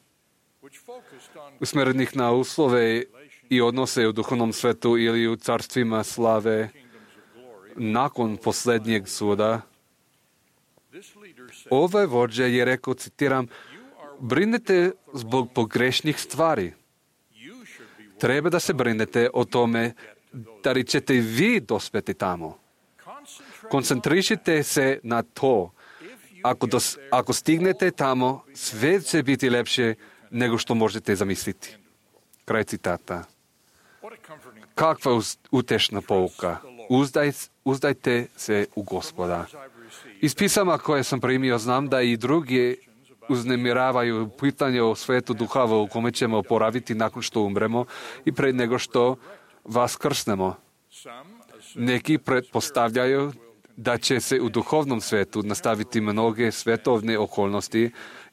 usmjerenih na uslove i odnose u duhovnom svetu ili u carstvima slave, nakon posljednjeg suda, ovaj vođa je rekao, citiram, brinete zbog pogrešnih stvari. Treba da se brinete o tome da li ćete vi dospeti tamo. Koncentrišite se na to. Ako stignete tamo, sve će biti lepše nego što možete zamisliti. Kraj citata. Kakva utešna pouka. Uzdajte se u Gospoda. Iz pisama koje sam primio znam da i drugi uznemiravaju pitanje o svetu duhova u kome ćemo oporaviti nakon što umremo i pred nego što vas krsnemo. Neki pretpostavljaju da će se u duhovnom svetu nastaviti mnoge svetovne okolnosti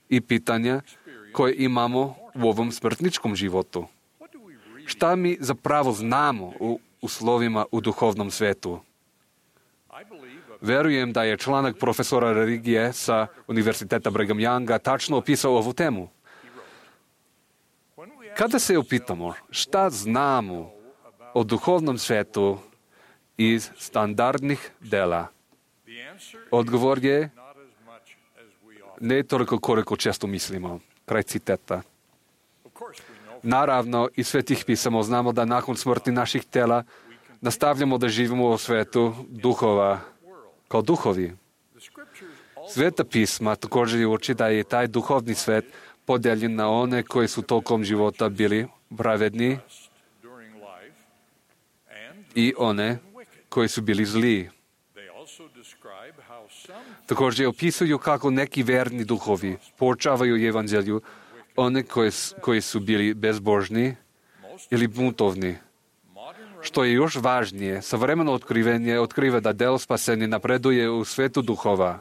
i pitanja koje imamo u ovom smrtničkom životu. Šta mi zapravo znamo u uslovima u duhovnom svetu? Verujem da je članak profesora religije sa Univerziteta Brigham Younga tačno opisao ovu temu. Kada se upitamo šta znamo o duhovnom svetu iz standardnih dela, odgovor je ne toliko koliko često mislimo. Kraj citata. Naravno, iz svetih pisama znamo da nakon smrti naših tela nastavljamo da živimo u svetu duhova, kao duhovi. Sveta pisma također uči da je taj duhovni svet podijeljen na one koji su tokom života bili pravedni i one koji su bili zli. Također opisuju kako neki verni duhovi poučavaju evanđelju one koji su bili bezbožni ili buntovni. Što je još važnije, savremeno otkrivenje otkriva da delo spasenja napreduje u svetu duhova.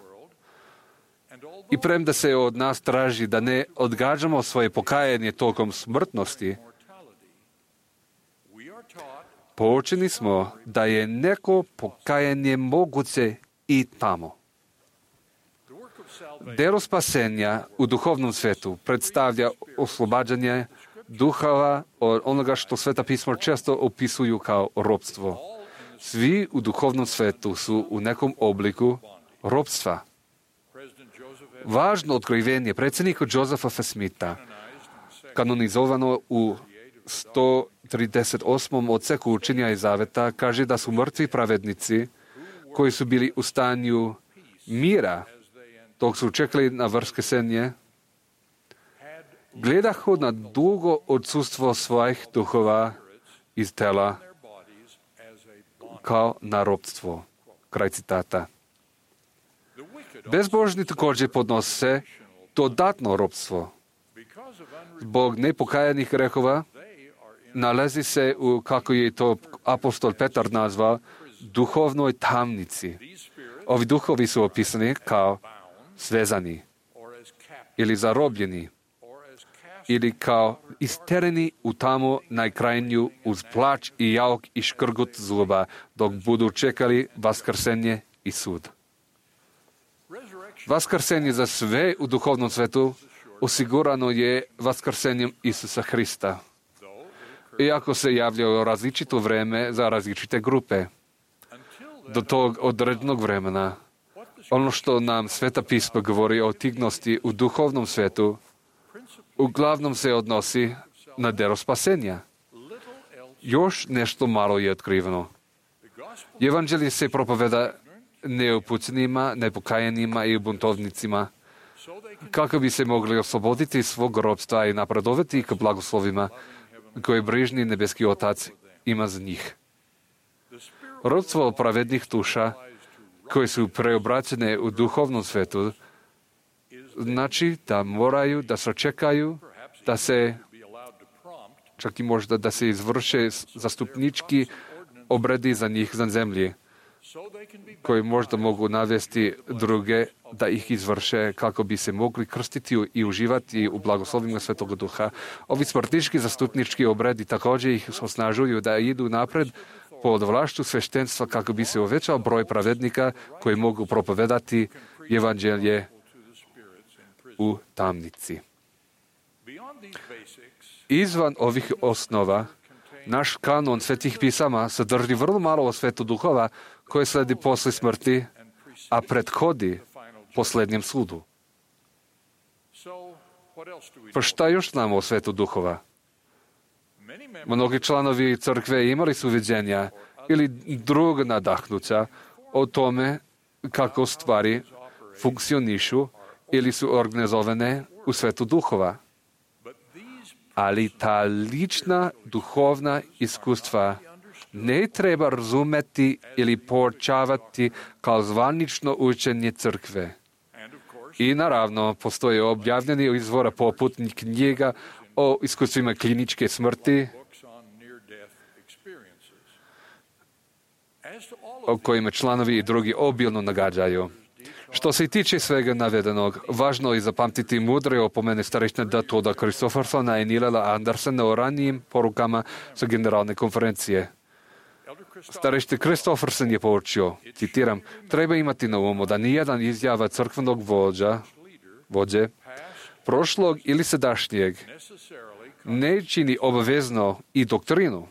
I premda se od nas traži da ne odgađamo svoje pokajanje tokom smrtnosti, poučeni smo da je neko pokajanje moguće i tamo. Delo spasenja u duhovnom svetu predstavlja oslobađanje duhova od onoga što Sveta pisma često opisuju kao ropstvo. Svi u duhovnom svetu su u nekom obliku ropstva. Važno otkrivenje predsjednika Josepha F. Smitha, kanonizovano u 138. odseku učenja i zaveta, kaže da su mrtvi pravednici koji su bili u stanju mira dok su čekali na vaskrsenje, gledahu na dugo odsustvo svojih duhova iz tela kao na ropstvo. Kraj citata. Bezbožni također podnose dodatno ropstvo. Zbog nepokajanih grehova nalazi se u, kako je to apostol Petar nazvao, duhovnoj tamnici. Ovi duhovi su opisani kao svezani ili zarobljeni ili kao istereni u tamu najkrajnju uz plač i jauk i škrgut zuba dok budu čekali vaskrsenje i sud. Vaskrsenje za sve u duhovnom svetu osigurano je vaskrsenjem Isusa Hrista. Iako se javljaju različito vreme za različite grupe. Do tog određenog vremena, ono što nam Sveta pisma govori o tignosti u duhovnom svetu, uglavnom se odnosi na delo spasenja. Još nešto malo je otkriveno. Evanđelje se propoveda neupućenima, nepokajanima i buntovnicima, kako bi se mogli osloboditi svog ropstva i napredovati k blagoslovima koje brižni nebeski Otac ima za njih. Ropstvo pravednih duša, koje su preobraćene u duhovnom svetu, znači da moraju da sačekaju, da se, čak i možda da se izvrše zastupnički obredi za njih za zemlji, koji možda mogu navesti druge da ih izvrše kako bi se mogli krstiti i uživati u blagoslovima Svetoga Duha. Ovi smrtnički zastupnički obredi također ih osnažuju da idu napred pod vlašću sveštenstva kako bi se uvećao broj pravednika koji mogu propovedati evanđelje u tamnici. Izvan ovih osnova, naš kanon svetih pisama sadrži vrlo malo o svetu duhova koje sledi posle smrti, a prethodi posljednjem sudu. Pa šta još znamo o svetu duhova? Mnogi članovi crkve imali su viđenja ili druga nadahnuća o tome kako stvari funkcionišu ili su organizovane u svetu duhova. Ali ta lična duhovna iskustva ne treba razumeti ili poučavati kao zvanično učenje crkve. I naravno, postoje objavljeni izvora poput knjiga o iskustvima kliničke smrti, o kojima članovi i drugi obilno nagađaju. Što se tiče svega navedenog, važno je zapamtiti mudre opomene starešne Toda Christoffersona i Nilala Andersena o ranijim porukama sa generalne konferencije. Starešni Christofferson je poučio, citiram, treba imati na umu da nijedan izjava crkvenog vođe, prošlog ili sadašnjeg, ne čini obavezno i doktrinu.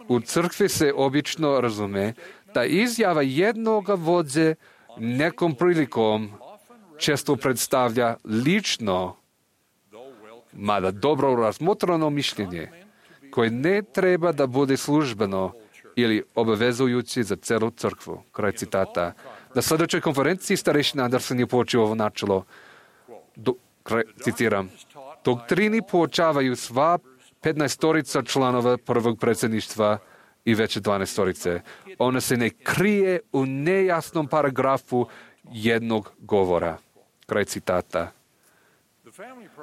U crkvi se obično razume da izjava jednog vođe nekom prilikom često predstavlja lično, mada dobro razmotreno mišljenje, koje ne treba da bude službeno ili obavezujući za celu crkvu. Kraj citata. Na sljedećoj konferenciji starešina Andersen je poučio ovo načelo. Citiram. Doktrini poučavaju sva 15 članova prvog predsjedništva i veće 12. Ona se ne krije u nejasnom paragrafu jednog govora. Kraj citata.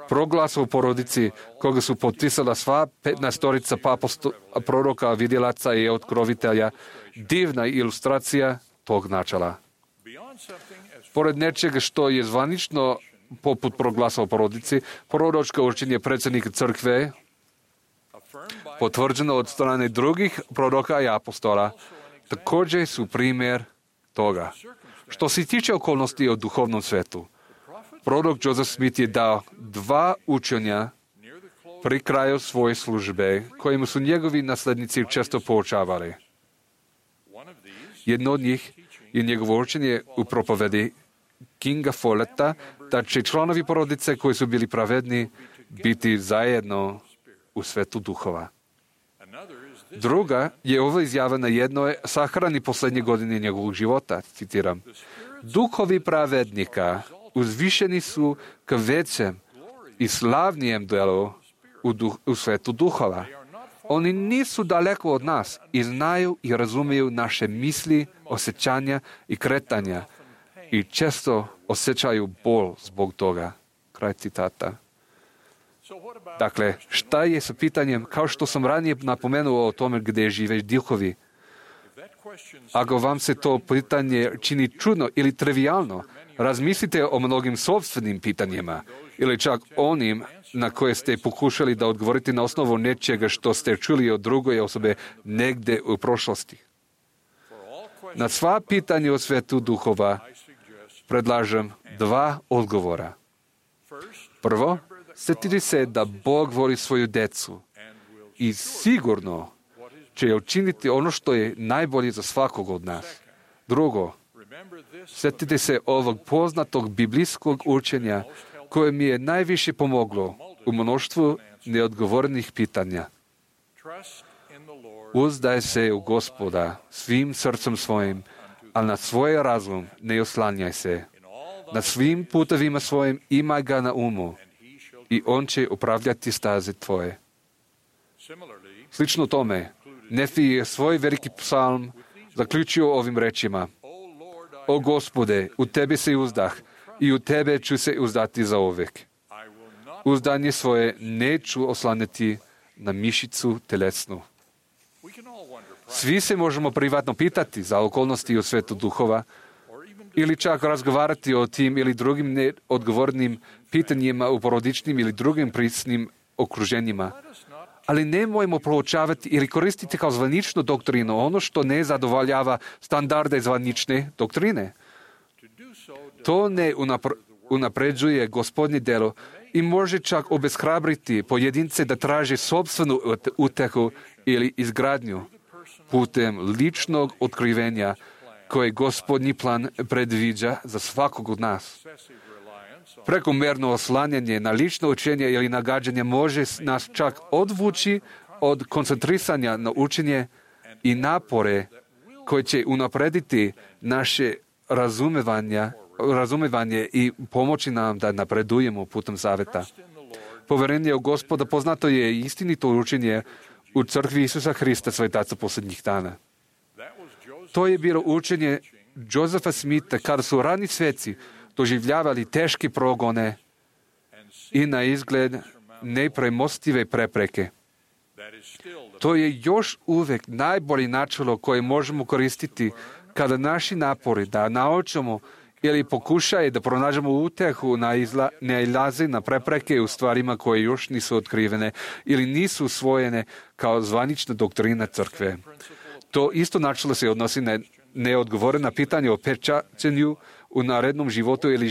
Proglas o porodici, koga su potpisala sva 15 proroka, vidjelaca i otkrovitelja, divna ilustracija tog načela. Pored nečega što je zvanično poput proglasa o porodici, proročko učenje predsjednika crkve, potvrđeno od strane drugih proroka i apostola, također su primjer toga. Što se tiče okolnosti o duhovnom svetu, prorok Joseph Smith je dao 2 učenja pri kraju svoje službe, kojima su njegovi naslednici često poučavali. Jedno od njih je njegovo učenje u propovedi Kinga Folletta, da će članovi porodice koji su bili pravedni biti zajedno u svetu duhova. Druga je ova izjava na jednoj sahrani posljednje godine njegovog života, citiram. Duhovi pravednika uzvišeni su k većem i slavnijem delu u svetu duhova. Oni nisu daleko od nas i znaju i razumiju naše misli, osjećanja i kretanja i često osjećaju bol zbog toga. Kraj citata. Dakle, šta je sa pitanjem, kao što sam ranije napomenuo o tome gdje žive duhovi? Ako vam se to pitanje čini čudno ili trivialno, razmislite o mnogim sopstvenim pitanjima ili čak onim na koje ste pokušali da odgovorite na osnovu nečega što ste čuli od druge osobe negdje u prošlosti. Na sva pitanja o svetu duhova predlažem 2 odgovora. Prvo, sjetite se da Bog voli svoju decu i sigurno će učiniti ono što je najbolje za svakog od nas. Drugo, sjetite se ovog poznatog biblijskog učenja koje mi je najviše pomoglo u mnoštvu neodgovorenih pitanja. Uzdaj se u Gospoda svim srcem svojim, a na svoj razum ne oslanjaj se. Na svim putovima svojim imaj ga na umu i on će upravljati staze tvoje. Slično tome, Nefi je svoj veliki psalm zaključio ovim rečima: O Gospode, u tebi se uzdah i u tebe ću se uzdati zauvek. Uzdanje svoje neću oslanjati na mišicu telesnu. Svi se možemo privatno pitati za okolnosti u svetu duhova ili čak razgovarati o tim ili drugim neodgovornim pitanjima u porodičnim ili drugim prisnim okruženjima. Ali nemojmo proučavati ili koristiti kao zvaničnu doktrinu ono što ne zadovoljava standarde zvanične doktrine. To ne unapređuje Gospodnje delo i može čak obeshrabriti pojedince da traže sopstvenu utehu ili izgradnju putem ličnog otkrivenja koje Gospodnji plan predviđa za svakog od nas. Prekomjerno oslanjanje na lično učenje ili nagađanje može nas čak odvući od koncentrisanja na učenje i napore koje će unaprediti naše razumevanje i pomoći nam da napredujemo putem zaveta. Poverenje u Gospoda poznato je istinito učenje u crkvi Isusa Hrista, svetaca posljednjih dana. To je bilo učenje Josefa Smitha kada su rani sveci doživljavali teške progone i na izgled nepremostive prepreke. To je još uvijek najbolje načelo koje možemo koristiti kada naši napori da naučimo ili pokušaje da pronađemo utehu nailaze na prepreke u stvarima koje još nisu otkrivene ili nisu usvojene kao zvanična doktrina crkve. To isto načelo se odnosi na neodgovorena pitanja o pečaćenju u narednom životu ili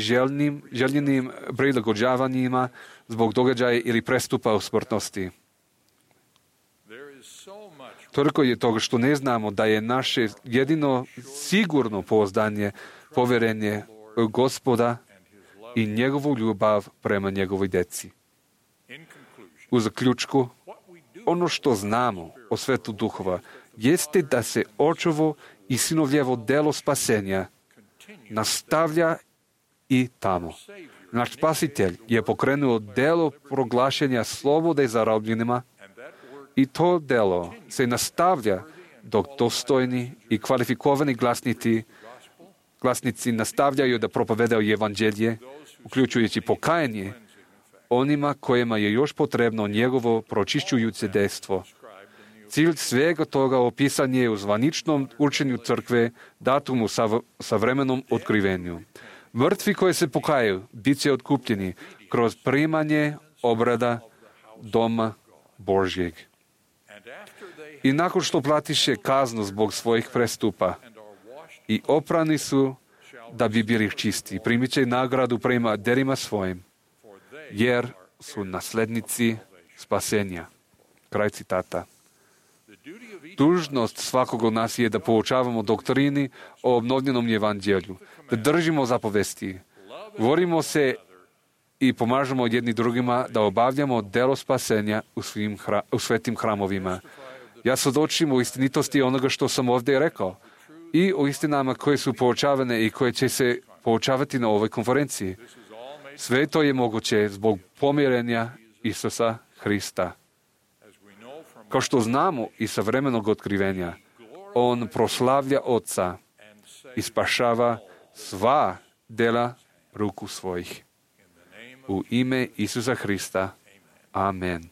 željenim prilagođavanjima zbog događaja ili prestupa u smrtnosti. Toliko je toga što ne znamo da je naše jedino sigurno pouzdanje, poverenje u Gospoda i njegovu ljubav prema njegovoj deci. U zaključku, ono što znamo o svetu duhova jeste da se očevo i sinovljevo delo spasenja nastavlja i tamo. Naš spasitelj je pokrenuo delo proglašenja slobode zarobljenima i to delo se nastavlja dok dostojni i kvalifikovani glasnici nastavljaju da propovedaju evanđelje, uključujući pokajanje onima kojima je još potrebno njegovo pročišćujuće dejstvo. Cilj svega toga opisan je u zvaničnom učenju crkve, datumu sa vremenom otkrivenju. Mrtvi koji se pokajaju bit će otkupljeni kroz primanje obrada doma Božjeg. I nakon što platiše kaznu zbog svojih prestupa i oprani su da bi bili čisti, primit će nagradu prema derima svojim, jer su naslednici spasenja. Kraj citata. Dužnost svakog od nas je da poučavamo doktrini o obnovljenom evanđelju, da držimo zapovesti, volimo se i pomažemo jedni drugima da obavljamo delo spasenja u svetim hramovima. Ja svjedočim o istinitosti onoga što sam ovdje rekao i o istinama koje su poučavane i koje će se poučavati na ovoj konferenciji. Sve to je moguće zbog pomirenja Isusa Hrista. Kao što znamo i sa vremenog otkrivenja, on proslavlja Oca i spašava sva dela ruku svojih. U ime Isusa Hrista. Amen.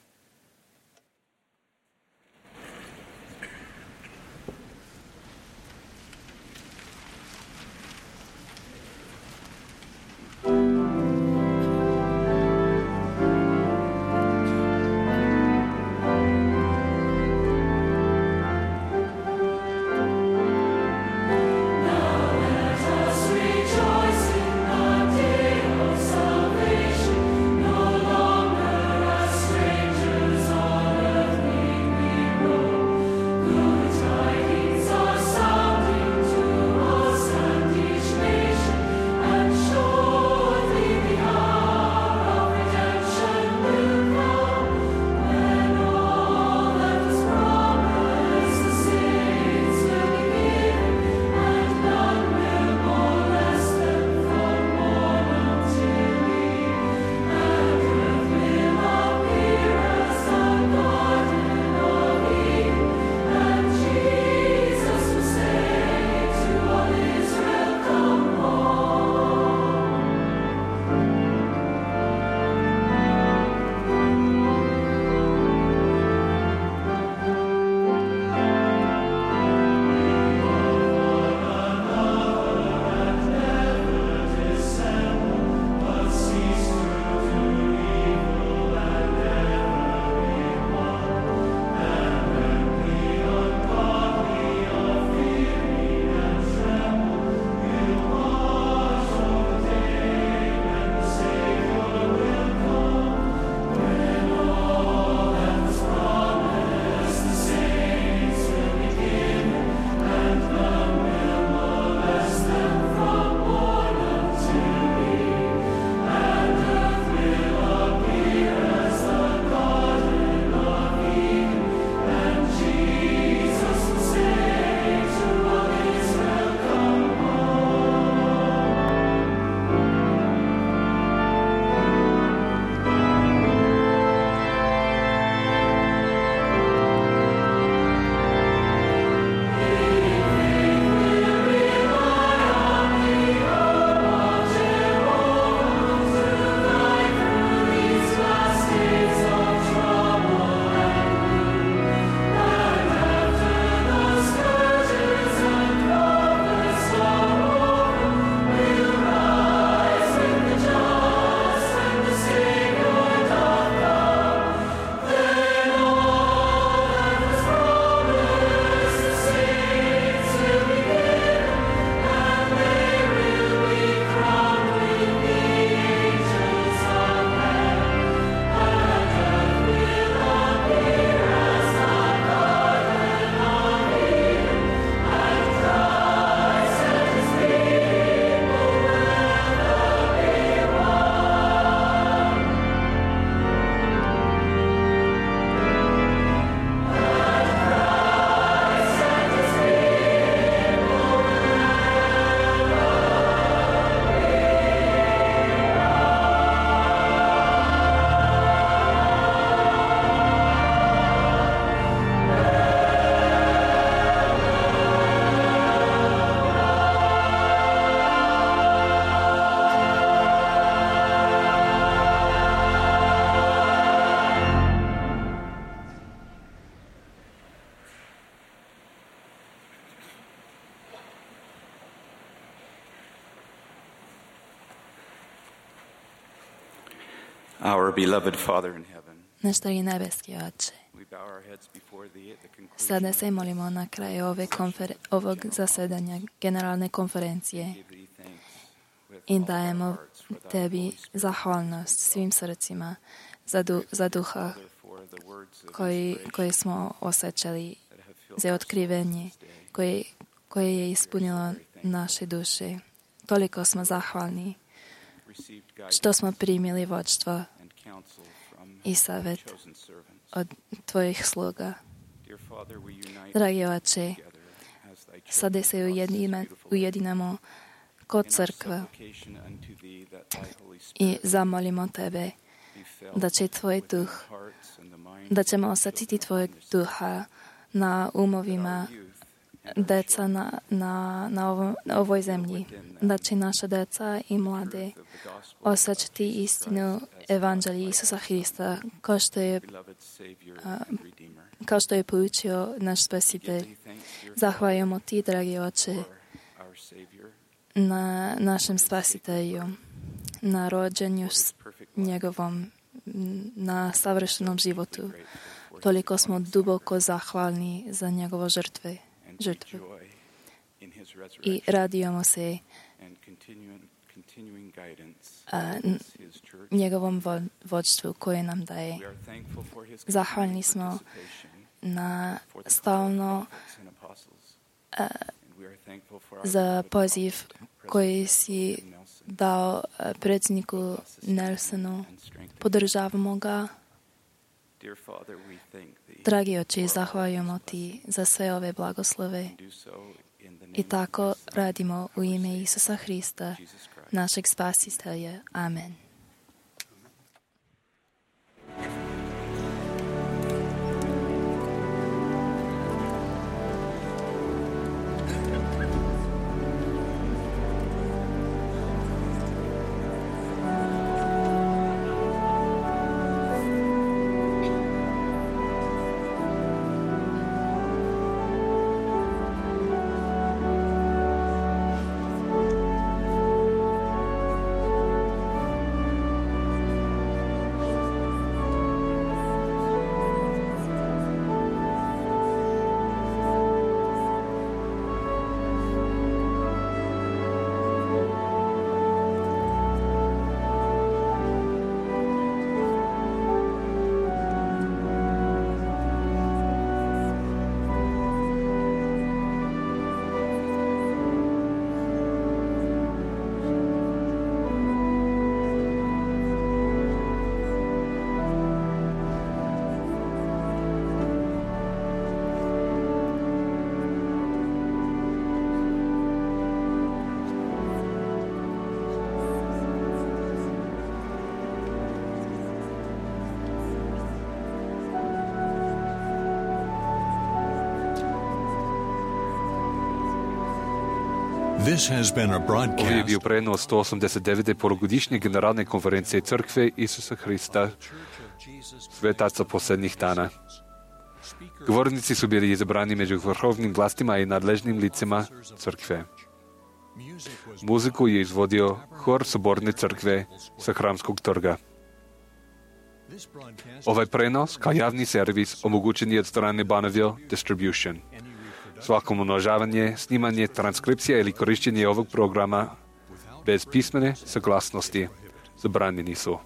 Rejoice in the day of salvation. Our beloved Father in heaven, Naš dragi nebeski Oče, we bow our heads before thee at the conclusion sada se molimo na kraju ovog zasedanja generalne konferencije of thee thanks with i all our dajemo hearts for thy Tebi Holy Spirit, zahvalnost svim srcima za duha for the words of koji smo osjećali, that have filled za otkrivenje koje je ispunilo naše duše. Toliko smo zahvalni received guidance što smo primili vodstvo and counsel from i savjet chosen servants. od Tvojih sluga. Dear Father, we unite Dragi Oče, together as thy sada children se across this beautiful ujedinamo kod in our crkve supplication unto thee that thy Holy i Spirit zamolimo Tebe be felt da će Tvoj within duh, the hearts and the minds da ćemo of osjetiti children Tvojeg on this duha na umovima that our youth and our deca na ovoj zemlji, da će naša deca i mlade of the gospel osjećati istinu Evanđelja Isusa Hrista beloved Savior and Redeemer. kao što je poučio naš Spasitelj. Thee thanks, dear Zahvaljujemo Ti, dragi Oče, for our Savior, na našem Spasitelju, na rođenju perfect life. njegovom, na savršenom životu. Grateful for Toliko smo duboko zahvalni za njegovo and žrtve take joy in his i resurrection radujemo se and continuing guidance a, in his church. njegovom vodstvu koje nam daje. We are thankful for his Zahvalni smo participation na for the stalno prophets and apostles. And we are thankful for our za beloved poziv President koji si Nelson dao predsjedniku Nelsonu. and strengthen. Podržavamo ga. Dear Father, we thank thee. Dragi Oče, zahvaljujemo Ti za sve ove blagoslove Do so in the name i of tako thy Son, radimo u ime Isusa Hrista, Jesus Christ. našeg Spasitelja. Amen. This has been a Ovo je broadcast bio prenos 189. polugodišnje generalne konferencije Crkve Isusa Hrista, svetaca posljednjih dana. Govornici su bili izabrani među vrhovnim vlastima i nadležnim licima Crkve. Muziku je izvodio hor Soborne crkve sa Hramskog trga. Ovaj prenos kao javni servis omogućen je od strane Bonneville Distribution. Svako umnožavanje, snimanje, transkripcija ili korištenje ovog programa bez pismene saglasnosti zabranjeni su.